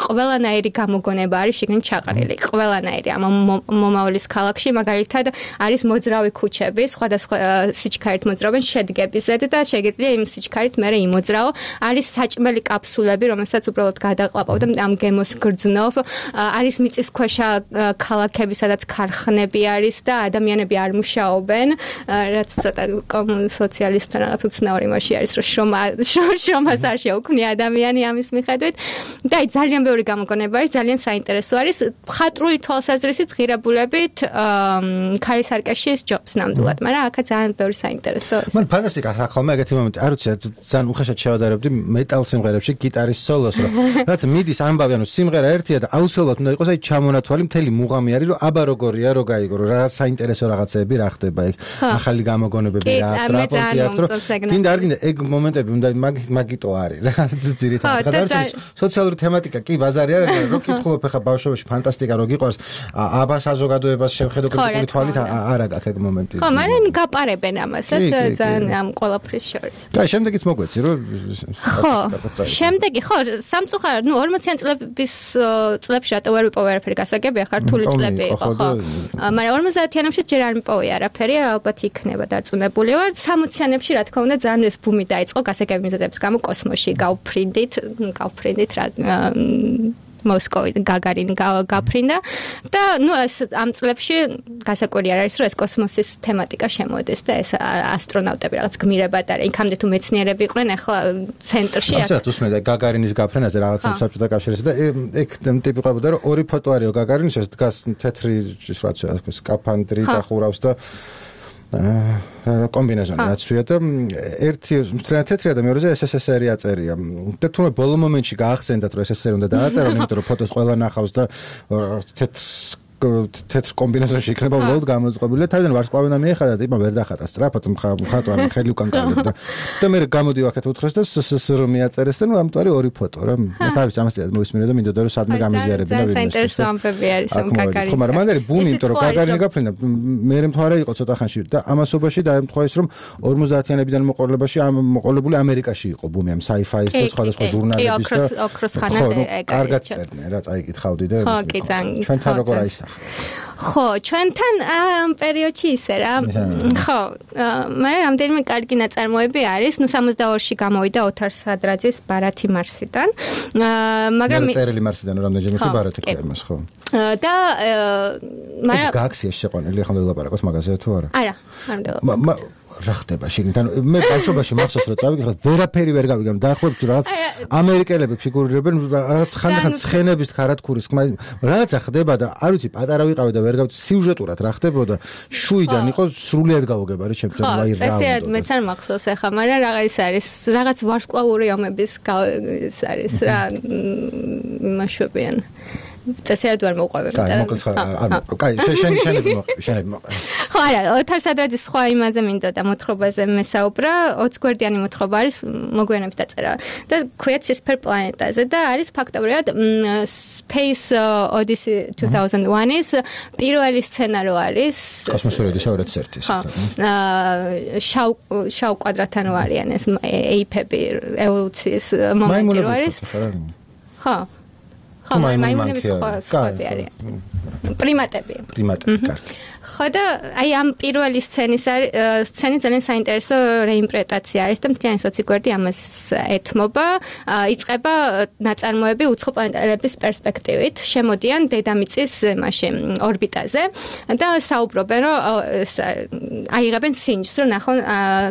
ყველანაირი გამოგონება არის შეგნით ჩაყრილი. ყველანაირი ამ მომავლის ქალაქში მაგალითად არის მოძრავი ქუჩები, სხვადასხვა სიჩქარით მოძრავენ შედგებისად და შეგიძლია იმ სიჩქარით მერე იმოძრაო. არის საჭმელი კაფსულები, რომელსაც უბრალოდ გადაყლაპავ და ამ გემოს გრძნობ. არის მიწისქვეშა ქალაქები, სადაც ქარხნები არის და ადამიანები არ მუშაობენ, რაც ცოტა სოციალისტთან რაღაც უცნაური მასში არის, რომ შრომას არ შეუქმნია ადამიანი ამის მიხედვით. და ძალიან ბევრი გამოგონება არის, ძალიან საინტერესო არის. მხატვრული თვალსაზრისით ღირებულებით ქარისარკეშის ჯობს ნამდვილად, მაგრამ აქაც ძალიან ბევრი საინტერესო არის. მან ფანტასტიკა ახალმა ეგეთი მომენტი, არ ვიცი, ძალიან უხეშად შევადარებდი მეტალ სიმღერებში გიტარის სოლოს, რაც მიდის ამბავი, ანუ სიმღერა ერთია და აუცილებლად უნდა იყოს აი ჩამონათვალი მთელი მუღამი არის, რომ აბა როგორია, რო გაიგო, რომ რაღაც საინტერესო რაღაცები რა ხდება იქ, ახალი გამოგონებები რა, ტრაპორტი აქვს, რომ გინდა არ გინდა ეგ მომენტები უნდა მაგიტო არის რა, ძირითადად. ხა და სოციალური თემატიკა კი ბაზარი არ არის, რო კითხულობ ხა ბავშვობაში ფანტასტიკა რო გიყვარს, აბა საზოგადოებას შევხედო კრიტიკული თვალით არ აქვს ეგ მომენტი. ხო, მაგრამ გაპარებენ ამასაც ძალიან ამ ყველაფრის შორის. და შემდეგიც მოგვეცი, რომ ხო, შემდეგი ხო, სამწუხაროდ, 40-იან წლებში რატო ვერ ვიპოვე არაფერი გასაგებია, ხართული წლები იყო, ხო. მაგრამ 50-იანებში ჯერ არ მიპოვე არაფერი, ალბათ იქნება დარწმუნებული ვარ. 60-იანებში რა თქმა უნდა ძალიან ეს ბუმი დაიწყო გასაგები მიზეზების გამო კოსმოსში გავფრინდით რა მოსკოვი გაგარინი გაფრინდა და ნუ ეს ამ წლებში გასაკვირი არ არის რომ ეს კოსმოსის თემატიკა შემოდის და ეს ასტრონავტები რაღაც გმირებად არის იქამდე თუ მეცნიერები იყვნენ ახლა ცენტრში აქ უსმენდა გაგარინის გაფრენაზე რაღაც საბჭოთა კავშირის და ეგ ტიპი ყვებოდა რომ ორი ფოტო არისო გაგარინის ეს დგას თეთრი რაცია სკაფანდრი და ხურავს და კომბინეზონი აცვია და ერთი მთლიანად თეთრია და მეორეზე SSSR-ი აწერია. და თუმცა ბოლო მომენტში გაახსენდათ რომ SSSR უნდა დააწერონ, იმიტომ რომ ფოტოს ყველა ნახავს და თეთრ კომბინეზონში იქნება უბრალოდ გამოწყობილი. თავიდან ვარსკვლავი უნდა მიეხადა და იპა ვერ დახატა სწრაფად მხატვარი ხელი უკან გავიდა და მე გამოდივ აქეთ უთხრეს და SSSR მიაწერეს და ნუ ამიტომ არის ორი ფოტო რა. მეცავი ამასთან მოისმინე და მინდოდა რომ სადმე გამიზიარებინა ვინმე. საინტერესო ამბები არის ამ კაკარის. ხო, მაგრამ მან არის ბუნი, იმიტომ რომ კაკარი გაფრინდა. მე მთვარე იყო ცოტა ხანში და ამასობაში დაემთხვა ის რომ 50-იანებიდან მოყოლებული ამერიკაში იყო ბუმი ამ sci-fi-ის და სხვადასხვა ჟურნალების და ოქროს ხანად ეგ არის. კარგად წერდნენ რა, წაიკითხავდი და ჩვენთან როგორ აისახა. ხო, ჩვენთან ამ პერიოდში ისე რა. ხო, მაგრამ რამდენიმე კარგი ნაწარმოები არის. ნუ 62-ში გამოვიდა ოთარ სადრაძის ბარათი მარსიდან. მაგრამ წერილი მარსიდან რამდენჯერმე კი ბარათი ყია იმას, ხო. და მაგრამ გაქცია შეყვანილი ახლა ვილაპარაკოთ მაგაზე თუ არა? არა, არ მინდა. რა ხდება შეგნით? ანუ მე ბავშვობაში მახსოვს რომ წავიკითხე, ვერაფერი ვერ გავიგე, დაახლოებით რაღაც ამერიკელები ფიგურირებენ რაღაც ხანდახან ცხენების ქარათქურის ხმა, რაღაცა ხდება და არ ვიცი, პატარა ვიყავი და ვერ გავიცი სიუჟეტურად რა ხდებოდა. შუიდან იყო სრულიად გავუგებარი ჩემთვის აი რა. წესიერ მეც არ მახსოვს ახლა, მაგრამ რაღაც არის, რაღაც ვარსკვლავური ომების ის არის რა, იმაშვებიან. წესიერ არ მოყვებენ. კაი, შენები მოყვე. ხო, არა, ოთარ სადრაძის სხვა იმაზე მინდოდა მოთხრობაზე მესაუბრა, 20 გვერდიანი მოთხრობა არის, მოგვიანებით დაწერა. და ქვია ცისფერ პლანეტაზე და არის ფაქტობრივად Space Odyssey 2001-ის პირველი სცენარო არის. კოსმოსური ოდისეა 2001-ის. შავ კვადრატთან არიან ეს ეიფები ევოლუციის მომენტი რო არის. ხო. ხო, მაიმუნების სხვები არიან. პრიმატები, კარგი. ხო და აი ამ პირველი სცენი ძალიან საინტერესო რეინტერპრეტაცია არის და მთლიანი 20 გვერდი ამას ეთმობა. იწყება ნაწარმოები უცხო პლანეტების პერსპექტივით, შემოდიან დედამიწის ორბიტაზე და საუბრობენ რომ აიღებენ სინჯს, რომ ნახონ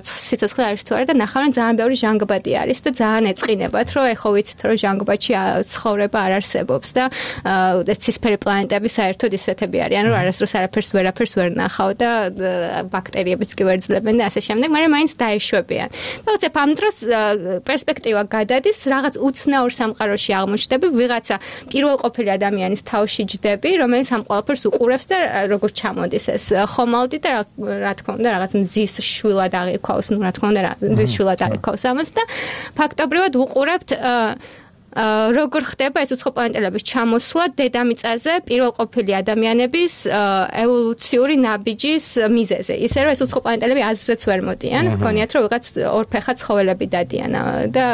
სიცოცხლე არის თუ არა და ნახავენ ძალიან ბევრი ჟანგბადი არის და ძალიან ეწყინებათ, რომ ეხო ვიცით რომ ჟანგბადში ცხოვრება არ არსებობს და ცისფერი პლანეტები საერთოდ ისეთები არიან, რომ არასდროს ვერაფერს ვერ ნახავ და ბაქტერიებიც კი ვერ ძლებენ და ასე შემდეგ, მაგრამ მაინც დაეშვებიან. და უცებ ამ დროს პერსპექტივა გადადის, რაღაც უცნაურ სამყაროში აღმოჩნდები, ვიღაცა პირველყოფილი ადამიანის თავში ჯდები, რომელიც ამ ყველაფერს უყურებს და როგორ ჩამოდის ეს ხომალდი და რა თქმა უნდა რაღაც მზის შვილად აღიქვავს, ნუ რა თქმა უნდა მზის შვილად აღიქვავს ამას და ფაქტობრივად უყურებთ როგორ ხდება ეს უცხო პლანეტების ჩამოსვლა დედამიწაზე პირველყოფილი ადამიანების ევოლუციური ნაბიჯის მიზეზე. ისე რომ ეს უცხო პლანეტები აზრიც ვერ მოდიან, გქონიათ რომ ვიღაც ორფეხა ცხოველები დადიან და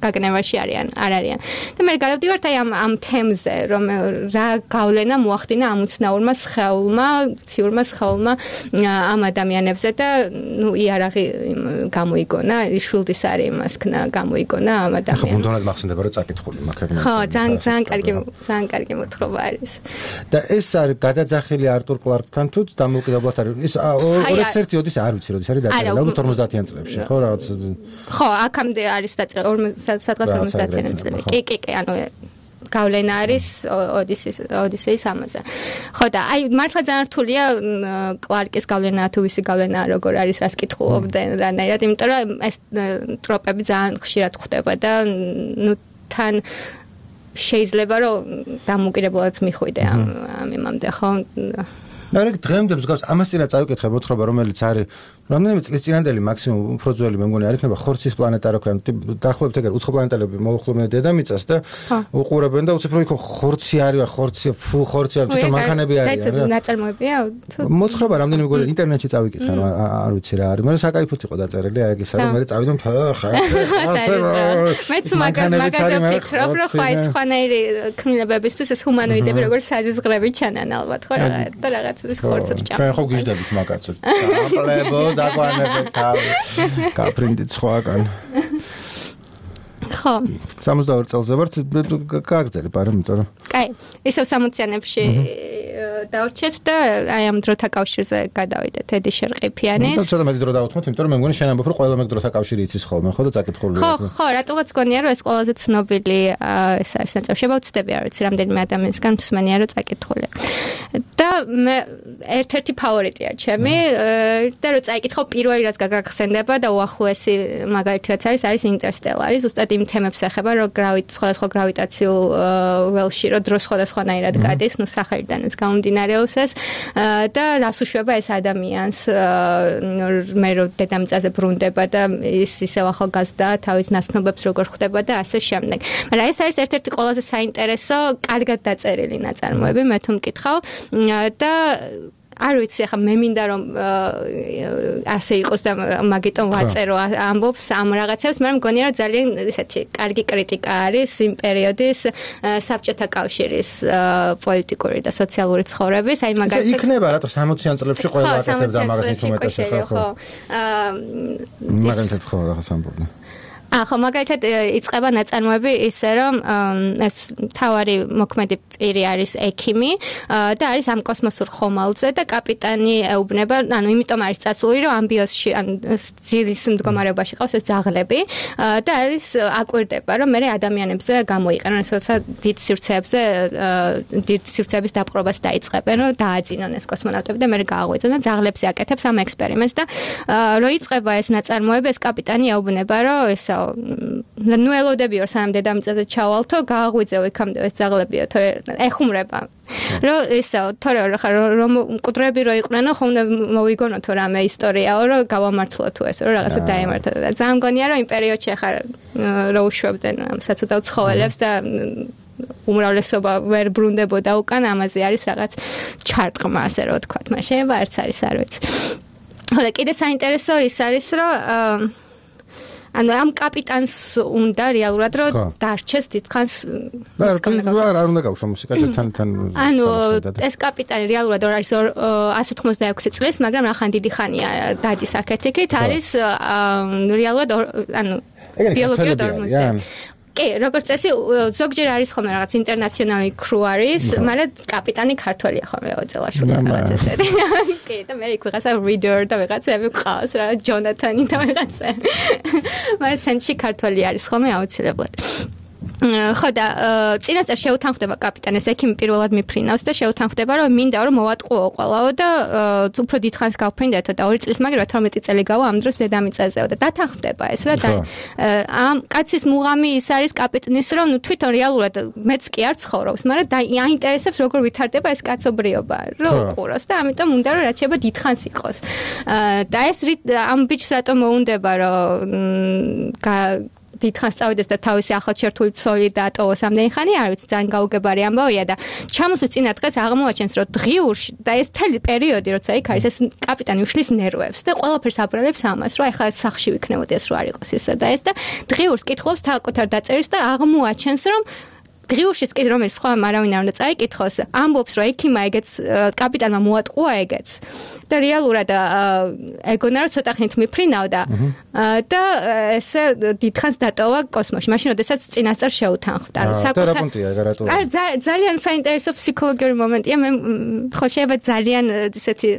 გაგნევაში არ არიან. და მე გადავდივართ აი ამ თემზე, რომ რა გავლენა მოახდინა ამ უცნაურმა სხეულმა, ციურმა სხეულმა ამ ადამიანებზე და ნუ იარაღი გამოიგონა, შვილდის არის იმასქნა გამოიგონა ამ ადამიანს. ხო, ბუნდოვნად მახსენდება რომ წაკითხული. ხო, ძალიან კარგი მოთხრობა არის. და ეს არის გადაძახილი არტურ კლარკთან თუ დამოუკიდებლად არის. ეს 21 ოდის არ ვიცი, როდის არის დაწერილი, ალბათ 50-იან წლებში, ხო, რაღაც. ხო, აქამდე არის დაწერილი 50-იან წლებში. კი, ანუ გავლენა არის ოდისეის ამაზე. ხო და აი მართლა ძალიან რთულია კლარკის გავლენა თუ ვისი გავლენა როგორ არის რას კითხულობდნენ რანაირად, იმიტომ რომ ეს ტროპები ძალიან ხშირად ხდება და ნუ თან შეიძლება რომ დამოუკიდებლადაც მიხვიდე ამ იმამდე, ხო? მაგრამ დღემდე მსგავს ამას წინა წავიკითხე მოთხრობა, რომელიც არის რამდენიმე წლის წინანდელი მაქსიმუმ უფრო ძველი მე მგონი არ იქნება ხორცის პლანეტა რო ქვია, დაახლოებით ეგრე უცხო პლანეტები მოუხმობენ დედამიწას და უყურებენ და უცებ რო იქ ხორცი არის, ხორცია, თვითონ მანქანები არიან რა. ნაწარმოებია? მოთხრობა რამდენიმე მგონი ინტერნეტში წავიკითხე, არ ვიცი რა არის, მაგრამ საკაიფოდ იყო დაწერილი აი ეგ ისა რომ მე წავიდომ მეც მაგაზე ვფიქრობ, რომ ხო ეს სხვანაირი ქმნილებებისთვის ეს ჰუმანოიდები როგორც საზიზღრები ჩანან ალბათ, ხო რაღაც ის ხორცებს ჭამ. ჩვენ ხო გიждდებით მაგაცად. აპლებო დაგვანებეთ თავი. კაპრინდით სხვაგან. ხო. 62 წელზე ვართ, გაგრძელებ არა, იმიტომ რომ. კაი, ისევ 60-იანებში დავრჩეთ და აი ამ დროთა კავშირზე გადავიდეთ ედი შერყიფიანის. და ცოტა მეტი დრო დავუთმოთ, იმიტომ რომ მე მგონი შენ ამბობ რომ ყველა მეგდროთა კავშირი იცის ხოლმე, ხო და წაკითხულია. ხო, რატოღაც გონია რომ ეს ყველაზე ცნობილი ეს არის ნაწილი. შევავწდები არ ვიცი რამდენიმე ადამიანისგან მსმენია რომ წაკითხულია. და მე ერთ-ერთი ფავორიტია ჩემი და რომ წაიკითხავ პირველი რაც გაგახსენდება და უახლოესი მაგალითი რაც არის ინტერსტელარი, ზუსტად იმ თემებს ეხება რომ სხვადასხვა გრავიტაციულ ველში რომ დრო სხვადასხვანაირად გადის, ნუ სახელიდანაც გამომდინარეობს ეს და რას უშვება ეს ადამიანს მე რომ დედამიწაზე ბრუნდება და ის ისევ ახალგაზრდა თავის ნაცნობებს როგორ ხვდება და ასე შემდეგ. მაგრამ ეს არის ერთ-ერთი ყველაზე საინტერესო, კარგად დაწერილი ნაწარმოები, მე თუ მკითხავ და არ ვიცი, ახლა მე მინდა რომ ასე იყოს და მაგიტომ ვაწერო ამბობს ამ რაღაცებს, მაგრამ მგონია რომ ძალიან ესეთი კარგი კრიტიკა არის იმ პერიოდის საბჭოთა კავშირის პოლიტიკური და სოციალური ცხოვრების, აი მაგალითად იქნება რა თქმა 60-იან წლებში ყველა აკეთებდა მაგალითად უმეტეს ხო. მაგალითად ხო რაღაც ამბობდნენ. ხო, მაგალითად იწყება ნაწარმოები ისე რომ ეს თავარი მოქმედი პირი არის ექიმი და არის ამ კოსმოსურ ხომალდზე და კაპიტანი ეუბნება, ანუ იმიტომ არის წასული რომ ამბიოსში ან ძილის მდგომარეობაში ყავს ეს ძაღლები და არის აკვირდება რომ მე ადამიანებზე გამოიყენონ ესოცა დიდ სივრცეების დაპყრობას დაიწყებენ რომ დააძინონ ეს კოსმონავტები და მე გააღვიძონ და ძაღლებზე აკეთებს ამ ექსპერიმენტს და რო იწყება ეს ნაწარმოები ეს კაპიტანი ეუბნება რომ ესა ნუ ელოდებიო სანამ დედამიწაზე ჩავალთო გააღვიძევ იქამდე ეს ძაღლებიო თორე ეხუმრება რომ ესა თორე რომ მკვდრები რო იყვნენ ხო უნდა მოვიგონოთო რამე ისტორიაო რომ გავამართლო თუ ეს რომ რაღაცა დაემართა და ძალიან მგონია რომ იმ პერიოდში ახლა რო უშვებდნენ ამ საცუდავ ცხოველებს და უმრავლესობა ვერ ბრუნდებოდა უკან ამაზე არის რაღაც ჩარტყმა ასე რომ ვთქვათ მაგრამ შეიძლება არც არის არ ვიცი ხო და კიდე საინტერესო ის არის რომ ანუ ამ კაპიტანს უნდა რეალურად რომ დარჩეს დიდხანს არ უნდა გავშო მუსიკათან ანუ ეს კაპიტანი რეალურად არის 186 წლის მაგრამ ახან დიდი ხანია დადის აქეთ-იქით არის რეალურად ანუ ბიოლოგია დორმოსდა კი, როგორც წესი, ზოგჯერ არის ხოლმე რაღაც ინტერნაციონალური კრუ არის, მაგრამ კაპიტანი ქართველია ხოლმე ოძელაშვილი რაღაც ესეთი. კი, და მე იქ ვიღაცა reader და ვიღაცები ყავს რა, ჯონათანი და ვიღაცა. მაგრამ ცენტრში ქართველი არის ხოლმე აუცილებლად. ხო და წინასწარ შეუთანხმდება კაპიტანეს ექიმი პირველად მიფრინავს და შეუთანხმდება რომ მინდა რომ მოვატყუო ყველაო და უფრო დიდხანს გავფრინდეთო და 2 წლის მაგივრად 12 წელი გავა ამ დროს დედამიწაზეო და დათანხმდება ეს რა და ამ კაცის მუღამი ის არის კაპიტნის რომ ნუ თვითონ რეალურად მეც კი არ ცხოვრობს მაგრამ აინტერესებს როგორ ვითარდება ეს კაცობრიობა რომ უყუროს და ამიტომ უნდა რომ რაც შეიძლება დიდხანს იყოს და ეს ამ ბიჭს რატომ მოუნდება რომ დიდხანს წავიდეს და თავისი ახალშერთული ცოლი დაატოვოს ამდენი ხანი, არ ვიცი, ძალიან გაუგებარი ამბავია და ჩამოსვლის წინა დღეს აღმოაჩენს, რომ დღიურში და ეს მთელი პერიოდი, როცა იქ არის, ეს კაპიტანი უშლის ნერვებს და ყველაფერს აბრალებს ამას, რომ ეხლა სახში ვიქნებოდეს, რო არ იყოს ისა და ეს და დღიურს კითხავს თავკუთარ დაწერის და აღმოაჩენს, რომ დღიურშიც კი რომელიც სხვა არავინ არ უნდა წაიკითხოს, ამბობს, რომ ექიმა ეგეც კაპიტანმა მოატყუა ეგეც. და რეალურად ეგონა რომ ცოტა ხნით მიფრინავდა და ესე დიდხანს დატოვა კოსმოსში. მაშინ როდესაც წინასწარ შეუთანხმდა. ანუ ძალიან საინტერესო ფსიქოლოგიური მომენტია. მე ხო შეიძლება ძალიან ესეთი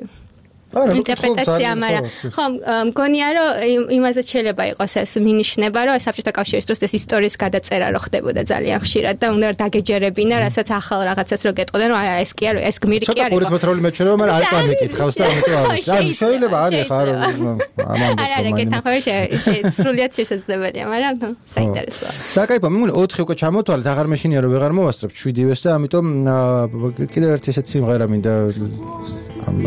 ინტერპრეტაცია, მაგრამ ხო მგონია რომ იმაზე შეიძლება იყოს ეს მინიშნება, რომ საბჭოთა კავშირის დროს ეს ისტორიის გადაწერა რო ხდებოდა ძალიან ხშირად და უნდა დაგეჯერებინა, რასაც ახალ რაღაცას რო გეტყოდნენ, რომ აი ეს კი არა, ეს გმირი კი არის. ცოტა პურიტმეთრული მეჩვენება, მაგრამ არ წამიკითხავს და ამიტომ არ ვიცი. ანუ შეიძლება არის ხარ ამამდე. არა, კითხავ სრულიად შესაძლებელია, მაგრამ საინტერესოა. საკაიფო, მე მგონი 4 უკვე ჩამოთვალეთ, აღარ მეშინია რომ ვეღარ მოვასწრებ 7-ს და ამიტომ კიდევ ერთი ესეთ სიმღერა მინდა ამ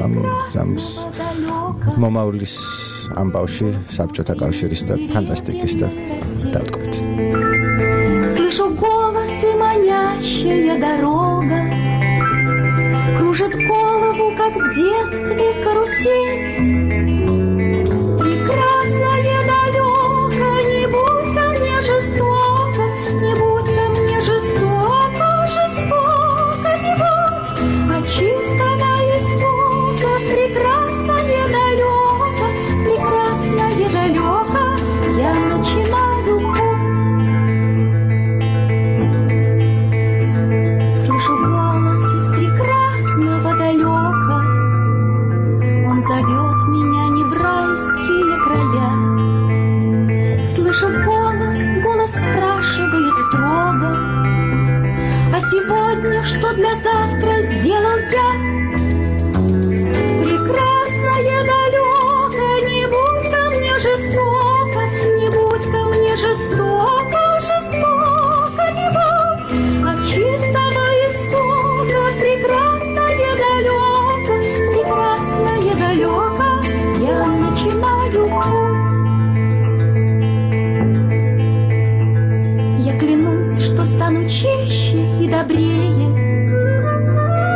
მომავლის ამბავში საბჭოთა კავშირის და фантастикის და დავტყობთ. Слышу голос и манящая дорога кружит голову, как в детстве карусель. Прекрасное далеко, не будь ко мне жестоко, не будь ко мне жестоко, жестоко не будь, а чистого истока прекрасное далеко, прекрасное далеко, я начинаю путь. Слышу голос из прекрасного далека. зовет меня не в райские края. Слышу голос спрашивает строго: а сегодня что для завтра сделал я? Прекрасное далеко, не будь ко мне жестоко, не будь ко мне жестоко, жестоко не будь. От чистого истока прекрасное далеко, прекрасное далеко, я начинаю путь. Я клянусь, что стану чище и добрее,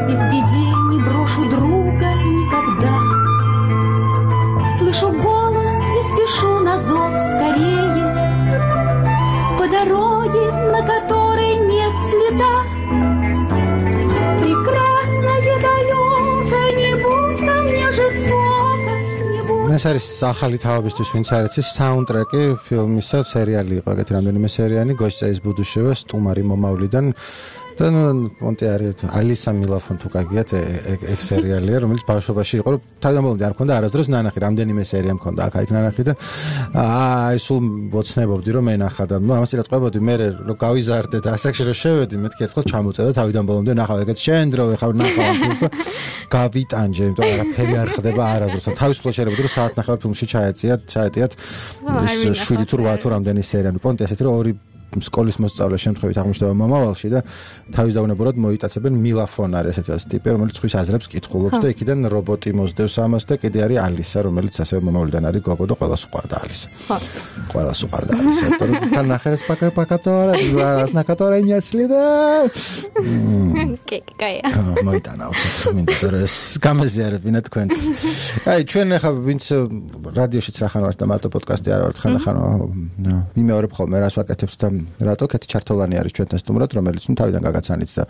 и в беде не брошу друга никогда. Слышу голос и спешу на зов скорее, по дороге, на которой нет следа. Прекрасное далеко, не будь ко мне жестоко, не будь. ეს არის ახალი თავებისთვის, ვინც არ იცის, საუნდტრეკი ფილმისა სერიალი იყო, ეგეთი რამდენიმე სერიანი, გოშწეის ბუდუშევა, სტუმარი მომავლიდან. და მონტე არის ალისა მილაფონ თუ გაგიათ ეგ სერიალია, რომელიც ბავშვობაში იყო, რომ თავიდან ბოლომდე არ მქონდა არასდროს ნანახი, რამდენიმე სერია მქონდა აქ ნანახი და აი სულ მოცნებობდი რომ ენახა და ამას წილად ყვებოდი მე რომ გავიზარდე და ასაკში რომ შევედი მეთქი ერთხელ ჩამოწერა თავიდან ბოლომდე ნახავ ეგეთ შენ დრო ეხავ ნახავ და გავიტანჯე, იმიტომ რომ არაფერი არ ხდება არასდროს. თავისუფლად შეიძლება რომ საათნახევარ ფილმში ჩაეტიათ 7 თუ 8 თუ რამდენი სერია. პონტი ასეთი რომ ორი სკოლის მოსწავლე შემთხვევით აღმოჩნდება მომავალში და თავის დაუნებურად მოიტაცებენ მილაფონ არის ესეთი ტიპი, რომელიც ხვის აზრებს კითხულობს და იქიდან რობოტი მოსდევს ამას და კიდე არის ალისა, რომელიც ასევე მომავლიდან არის გოგო და ყველას უყვარდა ალისა. ყველას უყვარდა ალისა. თან ნახერეს პაკატორა, რას ნაკატორა ინიაცლიდა. კაია. მოიტანა უცებ მინდა ეს გამეზიარებინა თქვენთვის. აი ჩვენ ახლა ვინც რადიოშიც რახან ვართ და მარტო პოდკასტი არ ვართ ხან მიმეორებ ხოლმე რას ვაკეთებთ და რატო კეთი ჩართოლანი არის ჩვენთან სტუმრად, რომელიც თავიდან გაგაცანით და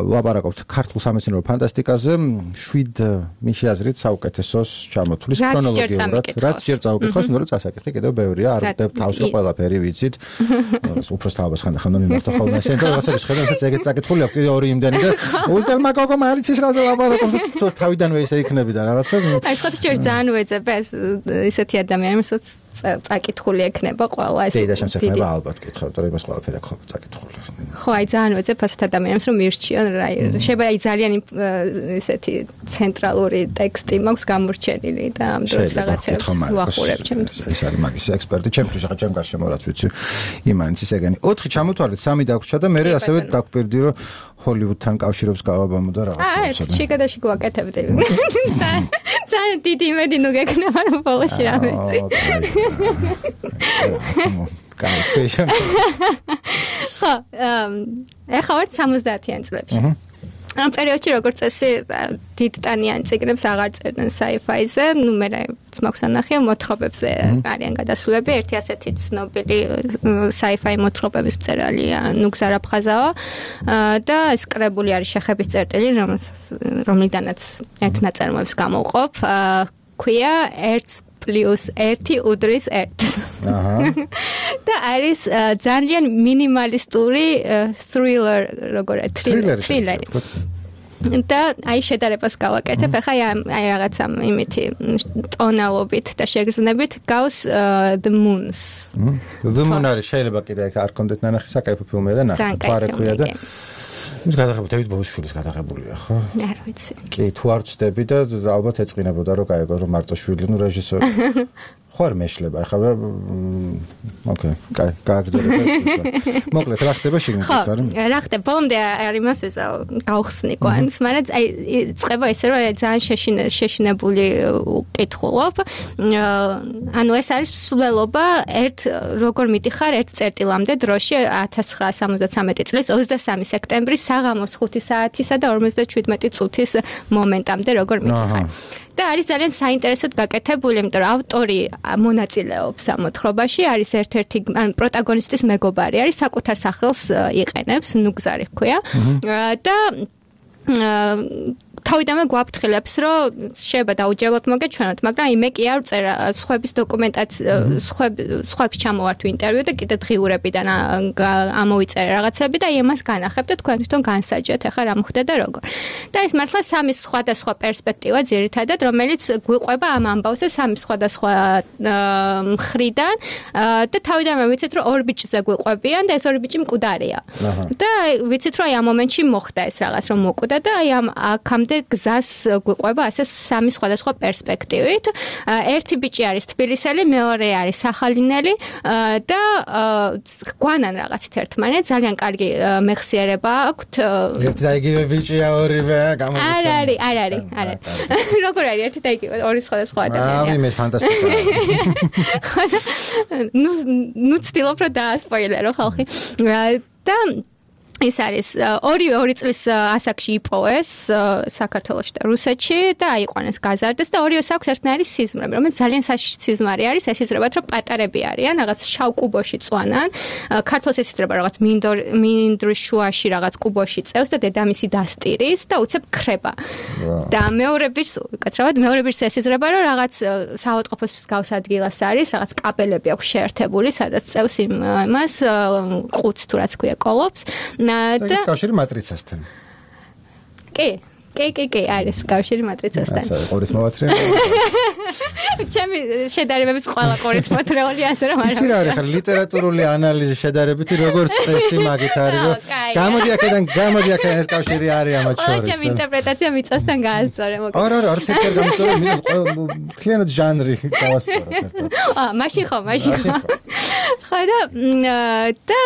ვაპარაკობთ ქართულ სამეცნიერო ფანტასტიკაზე, 7 მის აზრით საუკეთესოს ჩამოთვლის ქრონოლოგიურად. რაც ჯერ წავუკითხავს, იმიტომ რომ წასაკითხი კიდევ ბევრია, არ ვდებ თავს რომ ყველაფერი ვიცით. უფროს თაობას ხანდახან მიმართა ხოლმე ესენ და რაღაცა შეხედავთ ეგეთ წაკითხული აქვს კიდევ ორი იმდენი და ულტელმა გოგო მარიცის რაზე ვაპარაკობთ თავიდანვე ისე იქნები და რაღაცა. აი სხვა ჯერ ძალიან უეძებ ეს ისეთი ადამიანი, რომელსაც წაკითხული ექნება ყველა ეს. და შემსექნება ალბათ კითხავთ, რომ იმას ყველაფერი აქვს წაკითხული. ხო, აი ძალიან უეძებ ასეთ ადამიანს რომ მირჩიონ რა. შეიძლება აი ძალიან ისეთი ცენტრალური ტექსტი მაქვს გამორჩენილი და ამ დროს რაღაცებს ვახურებ ჩემთვის. ეს არის მაგის ექსპერტი ჩემთვის, ახლა ჩემ გარშემო რაც ვიცი იმანიც ეგენი. 4 ჩამოთვალეთ, 3 დაგვრჩა და მე ასევე დაგვპირდი რომ ჰოლივუდთან კავშირებს გავაბამო და რაღაცა. აი, შეგადაში გვაკეთებდი. ძალიან დიდი იმედი ნუ გეკნება რომ ბოლოში რამე. კაი, ხო, ეხლა ვარ 70-იან წლებში. ამ პერიოდში როგორც წესი დიდტანიან წიგნებს აღარ წერდნენ sci-fi-ზე, ნუ მე მაქვს ანახი მოთხრობებზე არიან გადასულები, ერთი ასეთი ცნობილი sci-fi მოთხრობების მწერალია ნუგზარ აფხაზავა და ეს კრებული არის შეხების წერტილი, რომლიდანაც ერთ ნაწარმოებს გამოვყოფ, ქვია 1+1 უდრის 1. და არის ძალიან მინიმალისტური thriller, როგორ თრილერი. და აი შედარებას გავაკეთებ, ახლა აი რაღაცა იმითი ტონალობით და შეგრძნებით გავს The Moons. The Moon არის შეიძლება კიდე აქ არ კონდეთ ნანახი საკაიფო ფილმია და ნახე. პარექვია და ის გადაღებული დევიდ ბოუისშვილის გადაღებულია, ხო? არ ვიცი. კი, თუ არ ვწდები და ალბათ ეწყინებოდა რომ კაიგო რომ მარტო შვილი, ნუ რეჟისორი. ხო არ მეშლება, ახლა ოკეი, კაი, გააგრძელებ ეს. მოკლედ, რა ხდება შიგნით ხარ? რა ხდება? ბოლომდე არ იმას ვიზავ, გავხსნი კვანს, მაგრამ აი წება ესე რომ ძალიან შეშინებული კითხულობ. ანუ ეს არის მსვლელობა როგორ მიდიხარ ერთ წერტილამდე დროში 1973 წლის 23 სექტემბრის საღამოს 5 საათისა და 57 წუთის მომენტამდე როგორ მიდიხარ. და არის ძალიან საინტერესოდ გაკეთებული, იმიტომ რომ ავტორი მონაწილეობს ამ მოთხრობაში, არის ერთ-ერთი პროტაგონისტის მეგობარი, არის საკუთარ სახელს იყენებს, ნუგზარი ჰქვია და თავიდანვე გვაფრთხილებს, რომ შეიძლება დაუჯეროთ მოგეჩვენოთ, მაგრამ იმე კი არ წერა სხვების დოკუმენტაცია, სხვებს ჩამოვართ ინტერვიუ და კიდე დღიურებიდან ამოვიწერე რაღაცები და იმას განახებთ და თქვენ თვითონ განსაჯეთ, ახლა რა მოხდა და როგორ. და ეს მართლა სამი სხვადასხვა პერსპექტივა ძირითადად, რომელიც გვიყვება ამ ამბავზე სამი სხვადასხვა მხრიდან და თავიდანვე ვიცით, რომ ორ ბიჭზე გვიყვებიან და ეს ორი ბიჭი მკვდარია. და ვიცით, რომ აი ამ მომენტში მოხდა ეს რაღაც, რომ მოკვდა და აი ამ აქამდე გზას გვიყვება ასე სამი სხვადასხვა პერსპექტივით. ერთი ბიჭი არის თბილისელი, მეორე არის სახალინელი და გვანან რაღაცით ერთმანეთს, ძალიან კარგი მეხსიერება აქვთ. ერთი და იგივე ბიჭია ორივე არ არის. როგორ არის ერთი და იგივე ორი სხვადასხვა ადამიანია. მე ფანტასტიკაა. ნუ ცდილობ რომ დაასპოილერო ხალხი. და ეს არის ორი წლის ასაკში იპოვეს საქართველოში და რუსეთში და აიყვანეს გაზარდეს და ორივეს აქვს ერთნაირი სიზმრები, რომელიც ძალიან საშიში სიზმარი არის, ეს იზრებათ, რომ პატარები არიან, რაღაც შავ კუბოში წვანან, ქართულს ეს იზრება რაღაც მინდვრის შუაში რაღაც კუბოში წევს და დედამისი დასტირის და უცებ ქრება. და მეორე ბირს ეს იზრება, რომ რაღაც საავადმყოფოს მსგავს ადგილას არის, რაღაც კაბელები აქვს შეერთებული, სადაც წევს იმას ყუთს თუ რაც ქვია კოლოფს. და კავშირი მატრიცასთან. კი, არის კავშირი მატრიცასთან. ყურის მოვათრე. ჩემი შედარებების ყველა ყურით მოთრეული ასე რომ არა. იცი რა არის ხა ლიტერატურული ანალიზი შედარებითი როგორც წესი მაგით არის რომ გამოდი აქედან ეს კავშირი არის ამათ შორის. ჩემი ინტერპრეტაცია მიწასთან გაასწორე მოკლედ. არა არც ერთი არ გამოსწორე, მთლიანად ჟანრი გავასწორე ერთად. მაშინ ხო. ხო და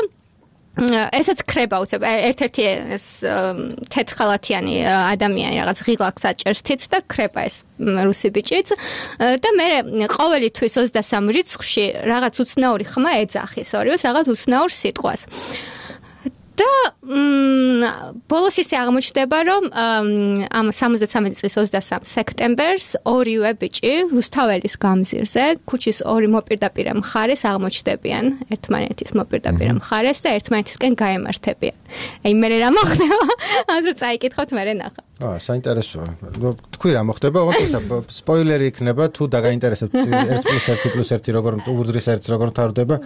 ესაც ქრება უცებ ერთ-ერთი ეს თეთრხალათიანი ადამიანი რაღაც ღილაკს აჭერს თიც და ქრება ეს რუსი ბიჭიც და მე ყოველი თვის 23 რიცხვში რაღაც უცნაური ხმა ეძახის ორივეს რაღაც უცნაურ სიტყვას. და ბოლოს ისე აღმოჩნდება, რომ ამ 73 წლის 23 სექტემბერს ორივე ბიჭი რუსთაველის გამზირზე, ქუჩის ორი მოპირდაპირე მხარეს აღმოჩნდებიან ერთმანეთის მოპირდაპირე მხარეს და ერთმანეთისკენ გაემართებიან. აი მე რა მოხდება? ამას რო წაიკითხოთ მე ნახა. საინტერესოა. თქვი რა მოხდება? ოღონდ სპოილერი იქნება თუ დაგაინტერესებთ 1+1+1 როგორ ურდრის ერთს როგორ თავდება?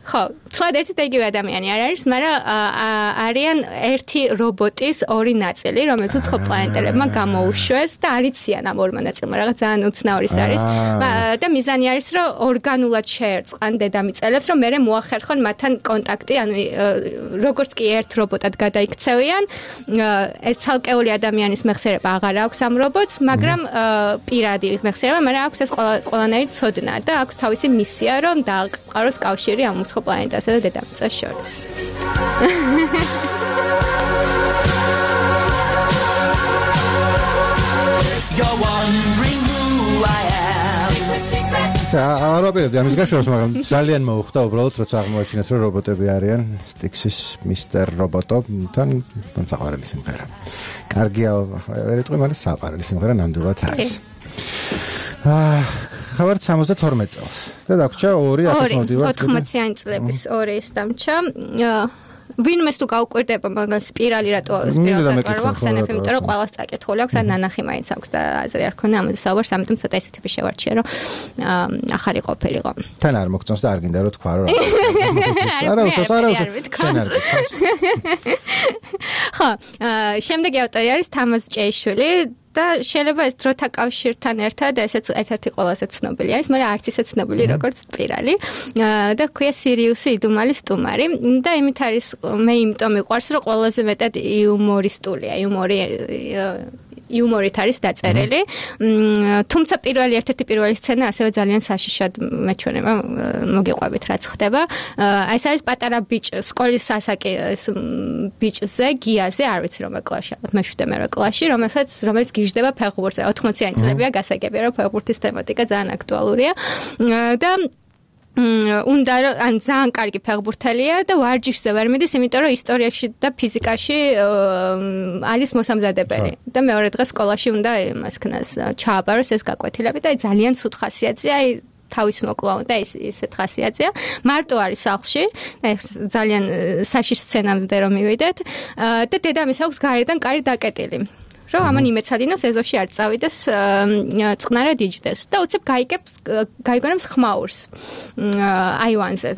ხო, თლად ერთი და იგივე ადამიანი არ არის, მაგრამ არიან ერთი რობოტის ორი ნაწილი, რომელიც უცხო პლანეტელებმა გამოუშვეს და არიციან ამ ორმა ნაწილმა, რაღაც ძალიან უცნაური არის. და მიზანი არის, რომ ორგანულად შეერწყან დედამიწელებს, რომ მერე მოახერხონ მათთან კონტაქტი, ანუ როგორც კი ერთ რობოტად გადაიქცევიან, ეს ცალკეული ადამიანის მეხსიერება აღარ აქვს ამ რობოტს, მაგრამ პირადი მეხსიერება, მაგრამ აქვს ეს ყველანაირი ცოდნა და აქვს თავისი მისია, რომ დააყაროს კავშირი ამ უცხო პლანეტასა და დედამიწას შორის. არაფერია ამის გაშორებას, მაგრამ ძალიან მოუხდა უბრალოდ როცა აღმოაჩინეთ რომ რობოტები არიან სტიქსის მისტერ რობოტო თან საყვარელი სიმღერა. კარგია, ვერ იტყვი, მაგრამ საყვარელი სიმღერა ნამდვილად არის. ხავარ 72 წელს და დაგვრჩა 80-იანი წლების 2 ის დამჩა. ვინმეს თუ გაუკვირდება, მაგრამ სპირალი რატო სპირალს არ ვახსენებ, იმიტომ რომ ყველას წაკითხული აქვს, ან ნანახი მაინც აქვს და აზრი არ ქონდა ამაზე საუბარს, ამიტომ ცოტა ისეთი შევარჩიე, რომ ახალი ყოფილიყო. თან არ მოგწონს და არ გინდა რომ თქვა, რომ არა უშავს. ხო, შემდეგი ავტორი არის თამაზ ჭეიშვილი და შეიძლება ეს დროთა კავშირთან ერთად ესეც ერთ-ერთი ყველაზე ცნობილი არის, მაგრამ არც ისე ცნობილი როგორც სპირალი. და ქვია სირიუსი იდუმალი სტუმარი და იმით არის მე იმიტომ მიყვარს, რომ ყველაზე მეტად იუმორისტულია, იუმორით არის დაწერილი. თუმცა ერთ-ერთი პირველი სცენა ასევე ძალიან საშიშად მეჩვენება, მოგიყვებით რაც ხდება. ეს არის პატარა ბიჭი, სკოლის სასაკი ბიჭზე, გიაზე, არ ვიცი რომელ კლასში, ალბათ მე-7 კლასში, რომელიც გიჟდება ფეხბურთზე. 80-იანი წლებია გასაგებია, რომ ფეხბურთის თემატიკა ძალიან აქტუალურია. და უნდა ან ძალიან კარგი ფეხბურთელია და ვარჯიშზე ვერ მიდის, იმიტომ რომ ისტორიაში და ფიზიკაში არის მოსამზადებელი. და მეორე დღეს სკოლაში უნდა იმას ქნას ჩააბაროს ეს გაკვეთილები და ძალიან ცუდ ხასიათზეა, აი თავის მოკლა და ისეთ ხასიათზეა. მარტო არის სახლში, ძალიან საშიშ სცენამდე რომ მივიდეთ და დედამის აქვს გარედან კარი დაკეტილი. რომ ამან იმეცადინოს ეზოში არ წავიდეს წყნარად იჯდეს და უცებ გაიგონებს ხმაურს აივანზე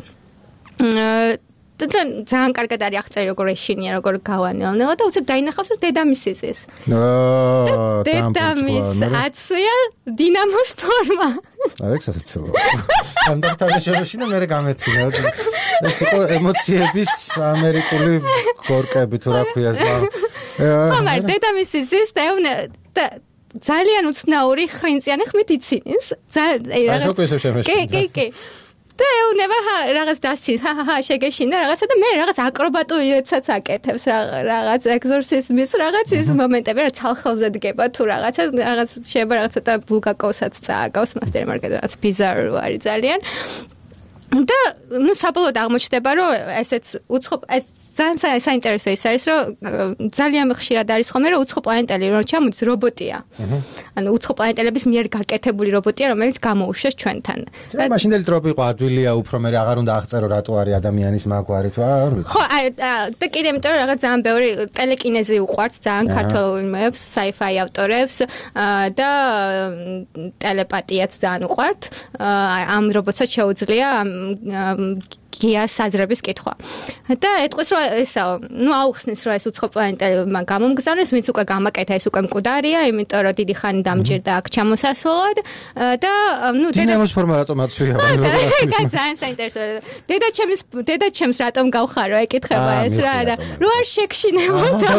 ძალიან კარგად არის აღწერილი როგორ ეშინია, როგორ გავანელნელა და უცებ დაინახავს რომ დედამისის ეს. დედამის აცვია დინამოს ფორმა. აი ესაცილო. ამდაღთან შეშინა მე გამეცინა. ეს იყო ემოციების ამერიკული გორკები თუ რა ქვია ზმა. მაგრამ დედამისის ეს და ძალიან უცნაური ხრინწიანი ხმით იცინის. კი. და ეუნება რაღაც დასცინს, შეგეშინდა რაღაცა და მე რაღაც აკრობატულობებსაც აკეთებს, რაღაც ეგზორსიზმის რაღაც ის მომენტები, რა ცალხელზე დგება თუ რაღაც შეიძლება რაღაც ცოტა ბულგაკოვსაც წააგავს მასტერი მარკეტი, რაღაც ბიზარო არის ძალიან. და ნუ საბოლოოდ აღმოჩნდება, რომ ესეც უცხო ეს ძალიან საინტერესო ის არის, რომ ძალიან ხშირად არის ხოლმე, რომ უცხო პლანეტელი რომ ჩამოდის რობოტია. ანუ უცხო პლანეტელების მიერ გაკეთებული რობოტია, რომელიც გამოუშვეს ჩვენთან. და მაშინდელი ტროპი იყო ადვილია, უფრო მე აღარ უნდა აღწერო რატო არის ადამიანის მაგვარი თუ არ ვიცი. ხო, და კიდე იმიტომ რომ რაღაც ძალიან ბევრი ტელეკინეზი უყვართ ძალიან ქართულ იმებს, sci-fi ავტორებს და ტელეპათიაც ძალიან უყვართ. ამ რობოტსაც შეუძლია გიას აზრების კითხვა. და ეტყვის რომ ესაო, ნუ აუხსნის რომ ეს უცხო პლანეტელებმა გამომგზავნეს, ვინც უკვე გამაკეთა ეს უკვე მკვდარია, იმიტომ რომ დიდი ხანი დამჭირდა აქ ჩამოსასვლელად და ნუ დინამოს ფორმა რატომ აცვია? ძალიან საინტერესო. დედაჩემს რატომ გავხარო, ეკითხება ეს რა და რო არ შეგშინებოდა.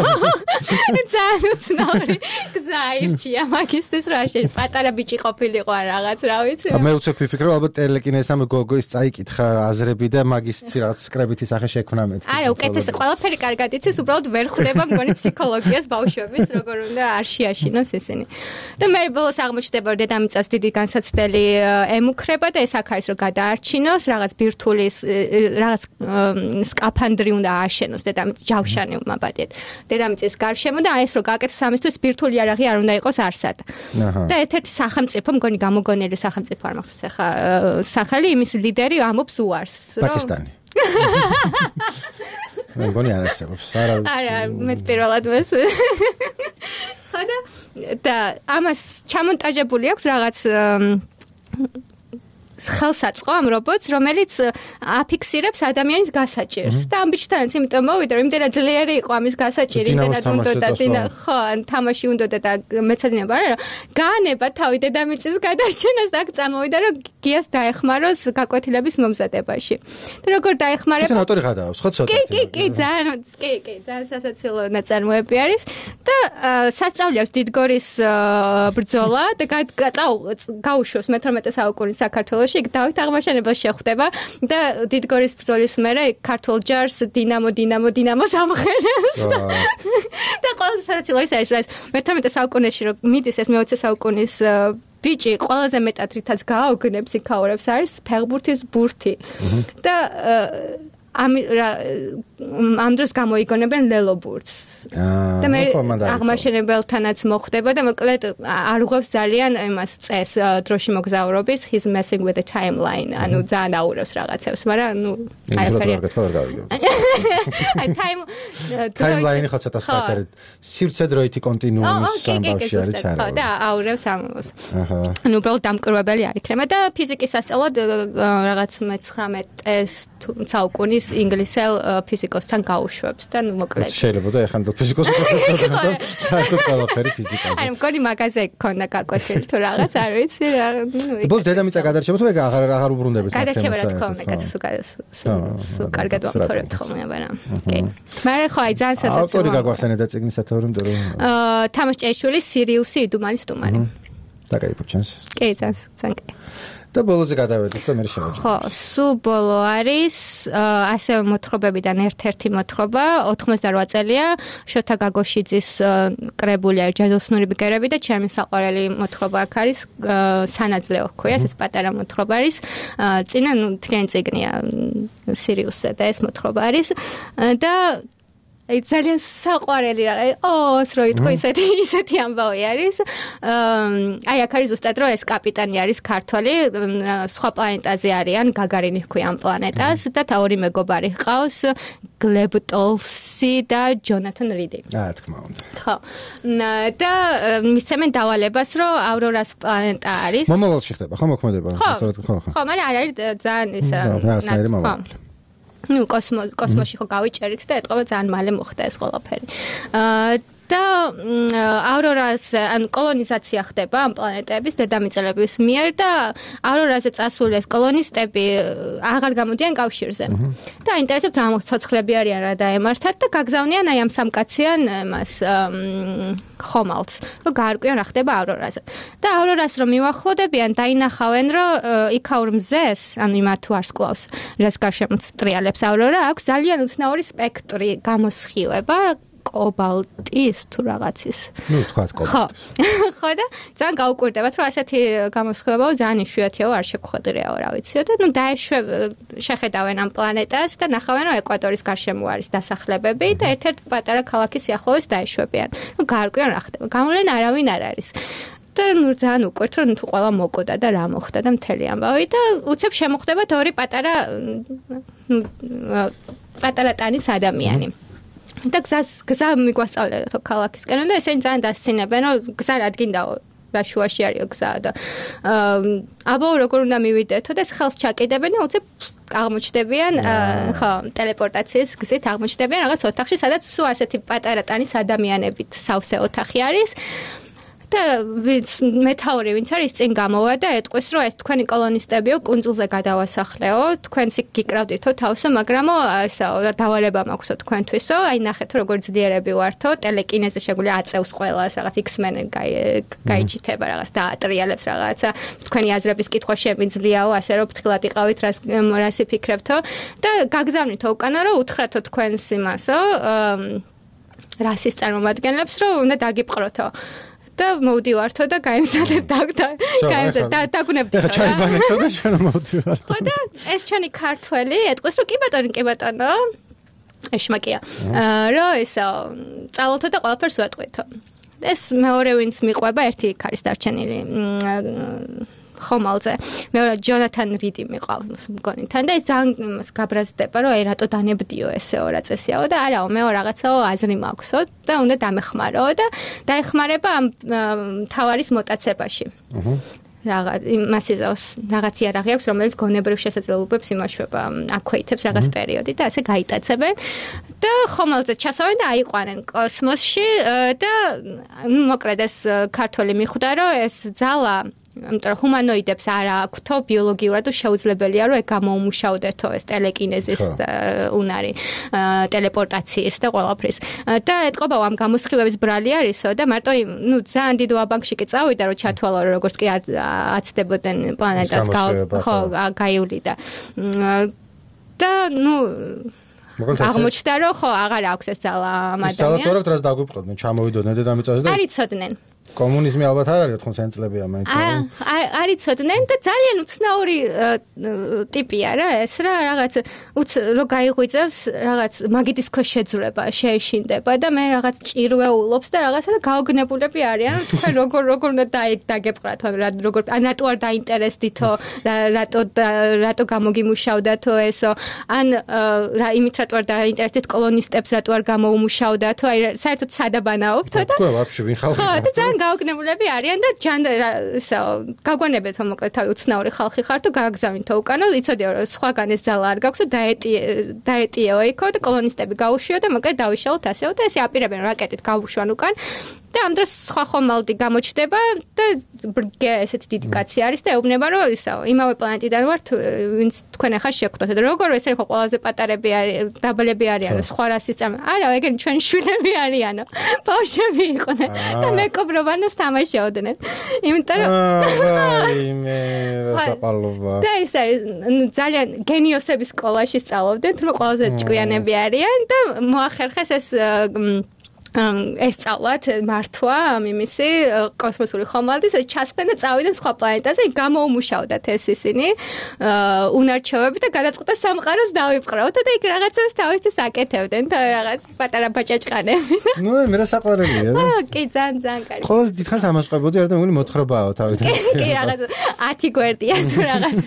ძალიან უცნაური გზა ირჩია მაგისტრის რა შეიძლება პატარა ბიჭი ყოფილიყო ან რაღაც რა ვიცი. მე უცებ ვიფიქრე ალბათ ტელეკინეზამ გოგოის წაიკითხა აზრები და მაგისტრი რაღაც სკრებითი სახე შექმნა მეთქი. არა, უკეთეს ყველაფერი კარგად იცის, უბრალოდ ვერ ხვდება მგონი ფსიქოლოგიას ბავშვების, როგორ უნდა არ შეაშინოს ისინი. და მე ბოლოს აღმოჩნდება, რომ დედამიწას დიდი განსაცდელი ემუქრება და ეს აქ არის რომ გადაარჩინოს, რაღაც ბირთვulis, რაღაც სკაფანდრი უნდა ააშენოს ჯავშანი უმაბადეთ. დედამიწის გარშემო და ეს რომ გააკეთოს ამისთვის ბირთვული იარაღი არ უნდა იყოს არსად. და ერთ-ერთი სახელმწიფო, მგონი გამოგონილი სახელმწიფო არ მახსოვს ახლა სახელი, იმის ლიდერი ამობს უარს. პაკისტანი. მე მგონი არ არსებობს. არა, მეც პირველად მესვე. ხოდა და ამას ჩამონტაჟებული აქვს რაღაც ხელსაწყო ამ რობოტს, რომელიც აფიქსირებს ადამიანის გასაჭირს. და ამ ბიჭთანაც იმიტომ მოვიდა, რომ იმდენად ძლიერი იყო ამის გასაჭირი, იმდენად უნდა ხო, თამაში უნდა და მეცადინება არა, გაანება თავი დედამიწის გადარჩენას და აქ წამოვიდა, რომ გიას დაეხმაროს გაკვეთილების მომზადებაში. და როგორ დაეხმარება? თვითონ ავტორი გადაავს, ხო ცოტა. კი, ძალიან სასაცილო ნაწარმოები არის და სასწავლი აქვს დიდგორის ბრძოლა და გაუშვოს მე-18 საუკუნის საქართველოში დავით აღმაშენებელს შეხვდება და დიდგორის ბრძოლის მერე ქართულ ჯარს დინამოს ამხელებს და ყველა სასაცილო ის არის, რომ მე-18 საუკუნეში რომ მიდის ეს მე-20 საუკუნის ბიჭი ყველაზე მეტად რითაც გააოგნებს იქაურებს არის ფეხბურთის ბურთი და ამ დროს გამოიგონებენ ლელობურთს. და მე აღმაშენებელთანაც მოხვდება და მოკლედ არ უღებს ძალიან იმას წეს დროში მოგზაურობის his messing with the timeline. ანუ ძალიან აურევს რაღაცებს, მაგრამ ნუ აი timeline ხო ცოტა სხვა არის. სივრცე დროითი კონტინუუმის სამბავში არის ჩარავი. ხო და აურევს ამას. ანუ უბრალოდ დამკვირვებელი არ იქნება და ფიზიკის სასწავლად რაღაც მე-19 საუკუნის ინგლისელ ფიზიკოსთან გაუშვებს და ნუ მოკლედ შეიძლება და ეხანდელ ფიზიკოსთან და საერთოდ ყველაფერი ფიზიკაზე. აი მგონი მაგაზე გქონდა გაკვეთილი თუ რაღაც არ ვიცი რა ნუ ბოლოს დედამიწა გადარჩება თუ აღარ უბრუნდებით მაგ თემას. გადარჩება რა თქმა უნდა, კაცო სულ კარგად ვამთორებთ ხოლმე, მაგრამ კი. მაგრამ ხო აი ძალიან სასაცილოა. ავტორი გაგვახსენე და წიგნის სათავე რომ თამაშ ჭეშვილი სირიუსი იდუმალის სტუმარი. და გაიფუჩენს. კი, ძალიან კი. და ბოლოზე გადავედით და მე შევაჯამე. ხო, სულ ბოლო არის ასევე მოთხრობებიდან ერთ-ერთი მოთხრობა 88 წელია შოთა გაგოშიძის კრებული არის ჯადოსნური ბგერები და ჩემი საყვარელი მოთხრობა აქ არის სანაძლეო ქვია, ეს პატარა მოთხრობა არის. წინა ნუ თლიანი წიგნია სირიუსზე და ეს მოთხრობა არის და ძალიან საყვარელი რა რო იტყვი ისეთი ამბავი არის აი აქ არის ზუსტად რომ ეს კაპიტანი არის ქართველი სხვა პლანეტაზე არიან გაგარინი ჰქვია ამ პლანეტას და ორი მეგობარი ჰყავს გლებ ტოლსი და ჯონათან რიდი თქმა უნდა ხო და მისცემენ დავალებას რომ ავრორას პლანეტა არის მომავალში ხდება ხო მოქმედება ხო მაგრამ არის ძალიან ისა კოსმოსში ხო გავიჭერით და ეთყობა ძალიან მალე მოხდა ეს ყველაფერი. და ავრორას ან კოლონიზაცია ხდება ამ პლანეტების დედამიწელების მიერ და ავრორაზე წასული ეს კოლონისტები აღარ გამოდიან კავშირზე. და ინტერესებს რა მოცოცხლები არიან რა დაემართათ და გაგზავნიან აი ამ სამკაციან მას ხომალდს, რომ გაარკვიონ რა ხდება ავრორაზე. და ავრორას რომ მივახლოდებიან, დაინახავენ, რომ იქაურ მზეს, ანუ იმათ ვარსკვლავს, რას გარშემო ტრიალებს ავრორა, აქვს ძალიან უცნაური სპექტრი გამოსხივება კობალტის თუ რაღაცის. ნუ თქვა კობალტის. ხო და ძალიან გაუკვირდებათ, რომ ასეთი გამოსხივება ძალიან იშვიათია, არ შეგვხვედრიაო, რა ვიციო და ნუ შეხედავენ ამ პლანეტას და ნახავენ, რომ ეკვატორის გარშემო არის დასახლებები და ერთ-ერთ პატარა ქალაქის სიახლოვეს დაეშვებიან. ნუ გაარკვიონ რა ხდება. გამოვლენ არავინ არ არის. და ნუ ძალიან უკვირთ, რომ თუ ყველა მოკოდა და რა მოხდა და მთელი ამბავი და უცებ შემოხდებათ ორი პატარა ტანის ადამიანი. და გზა მიგვასწავლეთ ქალაქისკენ და ესენი ძალიან დასცინებენ რომ გზა რადგინდაო რა შუაში არის გზა და აბა როგორ უნდა მივიდეთო და ხელს ჩაკიდებენ და უცებ აღმოჩნდებიან ხო ტელეპორტაციის გზით აღმოჩნდებიან რაღაც ოთახში სადაც სულ ასეთი პატარა ტანის ადამიანებით სავსე ოთახი არის და მეთაური ვინც არის წინ გამოვა და ეტყვის რომ ეს თქვენი კოლონისტებიო კუნძულზე გადავასახლეო თქვენს გიკრავდითო თავსო მაგრამ ესა დავალება მაქვსო თქვენთვისო აი ნახეთო როგორ ძლიერები ვართო ტელეკინეზე შეგვიძლია აწევს ყველას რაღაც X-Men გაიჩითება რაღაც და ატრიალებს რაღაცა თქვენი აზრების კითხვა შემიძლიაო ასე რომ ფრთხილად იყავით რას იფიქრებთო და გაგზავნითო უკანა რომ უთხრათო თქვენს იმასო რასის წარმომადგენლებს რომ უნდა დაგიპყროთო და მოვდივართო და გაემზადეთ დაგუნებდით რა ჩაიბანეთო და ჩვენ მოვდივართო ხო და ეს ჩვენი ქართველი ეტყვის რომ კი ბატონო ეშმაკია რომ ესა წავალთო და ყველაფერს ვატყვეთო ეს მეორე ვინც მიყვება ერთი იქ არის დარჩენილი ხომალზე მეორე ჯონათან რიდი მიყავს მგონიდან და ეს ძალიან გაბრაზდება რომ აი რატო დანებდიო ესეო რა წესიაო და არაო მე რაღაცაო აზრი მაქვსო და უნდა დამეხმარო და დაეხმარება ამ თავარის მოტაცებაში მას იზავს რაღაც იარაღი აქვს რომელიც გონებრივ შესაძლებლობებს იმაშვება აქვეითებს რაღაც პერიოდი და ასე გაიტაცებენ და ხომალზე ჩასვენ და აიყვანენ კოსმოსში და მოკლედ ეს ქართველი მიხვდა რომ ეს ძალა ამიტომ ჰუმანოიდებს არ აქვთო ბიოლოგიურად შეუძლებელია რომ ეგ გამოუმუშავდეთო ეს ტელეკინეზის უნარი ტელეპორტაციის და ყველაფრის და ეთყობა ამ გამოსხივების ბრალი არისო და მარტო ნუ ძალიან დიდ ვაბანკში კი წავიდა რომ ჩათვალო რომ როგორც კი აცდებოდნენ პლანეტას ხო გაივლიდა და ნუ აღმოჩნდა რომ ხო აღარ აქვს ეს ძალა ამ ადამიანს სალატორებთ რას დაგვიპყროდნენ ჩამოვიდოდნენ დედამიწაზე და არიცოდნენ კომუნიზმი ალბათ არ არის 80 წლებია მაინც არიცოდნენ და ძალიან უცნაური ტიპია რა ეს რა რაღაც რო გაიღვიძებს რაღაც მაგიდის ქვეშ შეძრება შეეშინდება და მე რაღაც ჭირვეულობს და რაღაცა და გაოგნებულები არიან თქვენ როგორ უნდა დაგეპყრათ როგორ ან რატო არ დაინტერესდითო რატო გამოგიმუშავდათო ესო ან რა იმით რატო არ დაინტერესდით კოლონისტებს რატო არ გამოუმუშავდათო აი საერთოდ სადაბანაობთო და თქვა ვაფშე ვინ ხალხი გაოგნებულები არიან და ესა გაგვანებეთო მოკლედ თავი უცნაური ხალხი ხარ თუ გააგზავნითო უკანა იცოდიო რომ სხვაგან ეს ძალა არ გაქვს და დაეტიეო იქო და კოლონისტები გაუშვიო და მოკლედ დავიშალოთ ასეო და ესე აპირებენ რაკეტით გავუშვან უკან და ამ დროს სხვა ხომალდი გამოჩნდება და ბრგე ესეთი დიდი კაცი არის და ეუბნება რომ ისა იმავე პლანეტიდან ვართ ვინც თქვენ ახლა შეგხვდათ და როგორ ესე ხო ყველაზე პატარები არის დაბლები არიან სხვა რასის წამ არა ეგენი ჩვენი შვილები არიანო ბავშვები იყვნენ და მეკობრობანას თამაშობდნენ იმიტომ რომ მე საყალობა და ეს არის ძალიან გენიოსების სკოლაში სწავლობდნენ თუ ყველაზე ჭკვიანები არიან და მოახერხეს ეს ეს სწავლათ მართვა მიმისი კოსმოსური ხომალდის ჩასხდნენ და წავიდნენ სხვა პლანეტაზე გამოუმუშავდათ ეს ისინი უნარჩვევები და გადაწყვიტა სამყაროს დავიპყროთ და იქ რაღაცას თავისთვის აკეთებდნენ და რაღაც პატარა ბაჭაჭყანები ნუ მე რა საყვარელია კი ძალიან კარგი ხოლოს დიდხანს ამასყებოდი არა და მული მოთხრობაა თავიდან კი რაღაც 10 გვერდია თუ რაღაც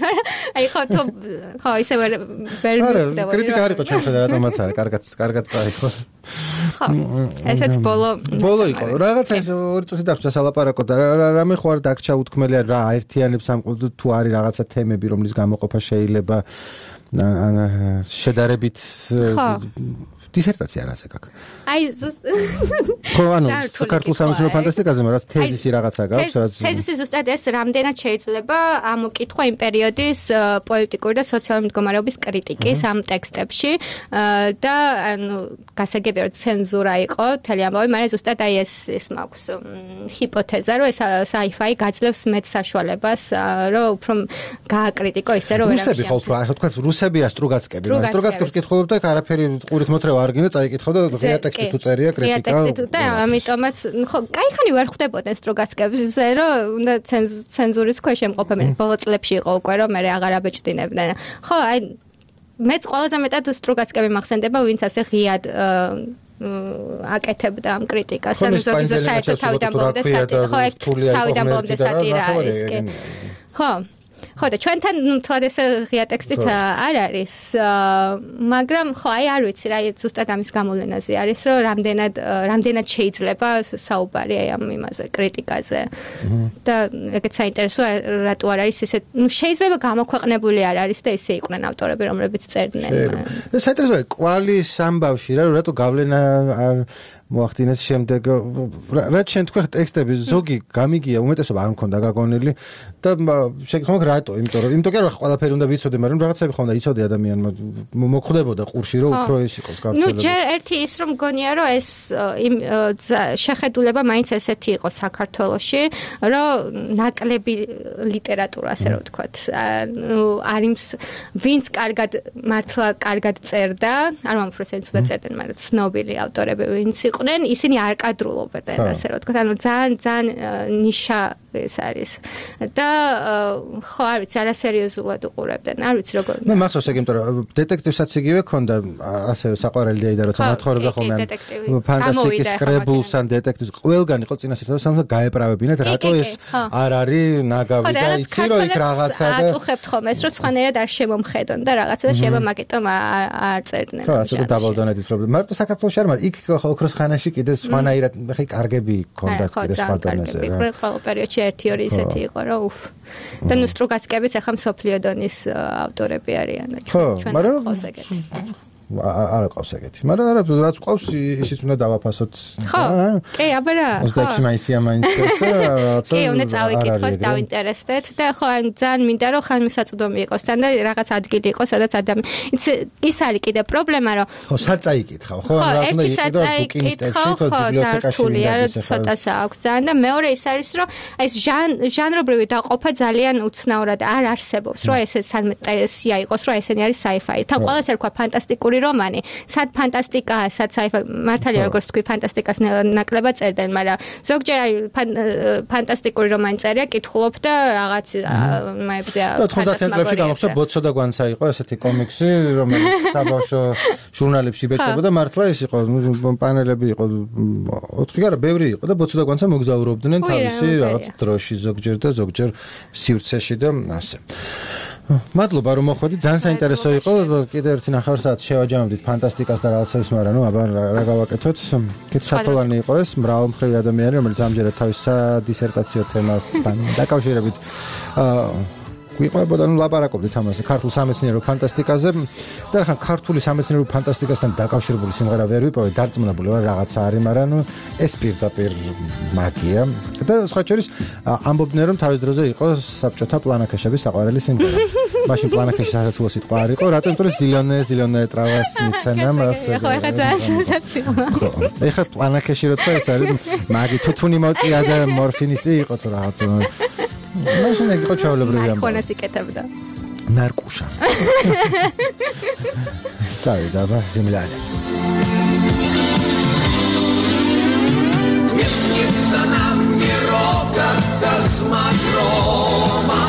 აი ხო ისე ვერ კრიტიკა არისო ჩვენ და რატომაც არის კარგად წაიხო ხო ესეც ბოლო იყო რაღაცა ეს 2 წუთი დარჩა სალაპარაკო და რამე ხო არ დაგჭა უთქმელია რა აერთიანებს ამ თუ არის რაღაცა თემები რომლის გამოყოფა შეიძლება შედარებით დისერტაცია რაზე გაქვს აი ხო ანუ საქართველოს სამეცნიერო ფანტასტიკაზე მაგრამ თეზისი რაღაცა გაქვს რაც თეზისი ზუსტად ეს რამდენად შეიძლება ამოკითხვა იმ პერიოდის პოლიტიკური და სოციალური მდგომარეობის კრიტიკის ამ ტექსტებში და ანუ გასაგებია რომ ცენზურა იყო მთელი ამბავი მაგრამ ზუსტად აი ეს მაქვს ჰიპოთეზა რომ ეს sci-fi გაძლევს მეტ საშუალებას რომ უფრო გააკრიტიკო ისე რომ რუსები ხო უფრო ახლა თქვა რუსები რა სტრუგაცკებს კითხულობ და არაფერი ყურით მოთრევა არგინო წაიკითხავ და ღია ტექსტი თუ წერია კრიტიკა და ამიტომაც ხო кайხანი ვერ ხვდებოდნენ სტრუგაცკებზე რომ უნდა ცენზურის ქვეშ ემყოფებიან ბოლო წლებში იყო უკვე რომ მე აღარ აბეჭდინებდნენ ხო აი მეც ყველაზე მეტად სტრუგაცკები მახსენდება ვინც ასე ღიად აკეთებდა ამ კრიტიკას და ზოგადად საერთოდ თავიდან ბოლომდე სატირა ხო თავიდან ბოლომდე სატირა არის კი ხო და ჩვენთან თლად ეს ღია ტექსტით არ არის მაგრამ ხო აი არ ვიცი რა ზუსტად ამის გამოვლენაზე არის რომ რამდენად შეიძლება საუბარი აი ამ იმაზე კრიტიკაზე და ეგეც საინტერესოა რატო არ არის ესე შეიძლება გამოქვეყნებული არ არის და ესე იყვნენ ავტორები რომლებიც წერდნენ საინტერესოა კვალის ამბავში რა რატო გავლენა არ მოახდინეს შემდეგ რაც შენ თქვა ტექსტები ზოგი გამიგია უმეტესობა არ მქონდა გაგონილი და შეგთხოვ რატო იმიტომ რომ ყველაფერი უნდა ვიცოდე მაგრამ რაღაცები ხონდა იცოდე ადამიანმა მოხდებოდა ყურში რომ უფრო ეს იყოს გავრცელებული ნუ ჯერ ერთი ის რომ მგონია რომ ეს შეხედულება მაინც ესეთი იყო საქართველოში რომ ნაკლები ლიტერატურა ასე რომ ვთქვათ არის ვინც მართლა კარგად წერდა არ მომფროსენ თუ წერდნენ მაგრამ ცნობილი ავტორები ვინც იყვნენ ისინი არ კადრულობდნენ ასე რომ ვთქვათ ანუ ძალიან ნიშა ეს არის და ხო არ ვიცი არასერიოზულად უყურებდნენ არ ვიცი როგორ მე მახსოვს ეგ იმიტომ რომ დეტექტივსაც იგივე ქონდა ასე საყვარელი და როცა მათხოვრებდა ხოლმე ფანტასტიკის კრებულს ან დეტექტივს ყველგან იყო წინასწარ სამსა გაეპრავებინათ რატო ეს არ არის ნაგავი და იცი რომ იქ რაღაცა და აწუხებთ ხოლმე ეს რომ სხვანაირად არ შემომხედონ და რაღაცა და შეიძლება მაგიტომ არ წერდნენ ხო ასე დავალდანეთ პრობლემა მარტო საქართველოში არ მაგრამ იქ ოქროს ხანაში კიდე სხვანაირად ხე კარგები ქონდათ კიდე სხვა დონეზე რა ყველა პერიოდში 1-2 ისეთი იყო რომ უფ და ნუ სტრუგაცკებიც ახლა მსოფლიო დონის ავტორები არიან და ჩვენ ყავს ეგეთი არ ყავს ეგეთი მაგრამ არა რაც ყავს ისიც უნდა დავაფასოთ ხო კი აბა რა 26 მაისია მაინც და რაღაცა კი უნდა წავიკითხოთ დავინტერესდეთ და ხო ან ძალიან მინდა რომ ხანმისაწვდომი იყოს თან და რაღაც ადგილი იყოს სადაც ის არის კიდე პრობლემა რომ ხო საწაიკითხავ ხო რა უნდა იყიდო ბიბლიოთეკაში ცოტას აქვს ძალიან და მეორე ის არის რომ ეს ჟანრობრივი დაყოფა ძალიან უცნაურად არ არსებობს რომ ეს სანტესია იყოს რომ ესენი არის sci-fi თან ყველას ერქვა ფანტასტიკური რომანი, სად ფანტასტიკაა, სად sci-fi, მართალია როგორც თქვი ფანტასტიკას ნაკლებად წერდნენ, მაგრამ ზოგჯერ ფანტასტიკური რომანი წერია, კითხულობ და რაღაც მაებზე 90-იან წლებში გამოსცა ბოცო და გვანცა იყო ესეთი კომიქსი, რომელიც საბავშვო ჟურნალებში იბეჭდებოდა, მართლა ის იყო, პანელები იყო 4 არა, ბევრი იყო და ბოცო და გვანცა მოგზაურობდნენ თავისი რაღაც დროში ზოგჯერ და ზოგჯერ სივრცეში და ასე. მადლობა რომ მოხვედით, ძალიან საინტერესო იყო. კიდევ ერთი ნახევარ საათი შევაჯამებდით ფანტასტიკას და რაღაცებს, მაგრამ ნუ აბა რა გავაკეთოთ? კიდე ჩათვალანი იყო ეს მრავალმხრივი ადამიანი, რომელიც ამჯერად თავის სადისერტაციო თემასთან დაკავშირებით გვიყვებოდა, ნუ ლაპარაკობდით ამაზე ქართულ სამეცნიერო ფანტასტიკაზე და ხან ქართული სამეცნიერო ფანტასტიკასთან დაკავშირებული სიმღერა ვერ ვიპოვე, დარწმუნებული ვარ რაღაცა არის, მაგრამ ნუ ეს პირდაპირ მაგია. და სხვა შორის ამბობდნენ რომ თავის დროზე იყო საბჭოთა პლანაკეშების საყვარელი სიმღერა. მაშინ პლანაკეში სასაცილო სიტყვა არ იყო, რატომ? იმიტომ რომ ზილიონე ტრავას ницენა მას. ხო, ეხლა ძალიან სასაცილო. ხო. ეხლა პლანაკეში როცა ეს არის, მაგი თუთუნი მოწია და მორფინისტი იყო თუ რაღაცა. მაშინ იყო ჩავლებრივი ამბავი. ხონას იკეთებდა. ნარკუშა. წავიდა ზიმლანი. Не снится нам ни рога космодрома.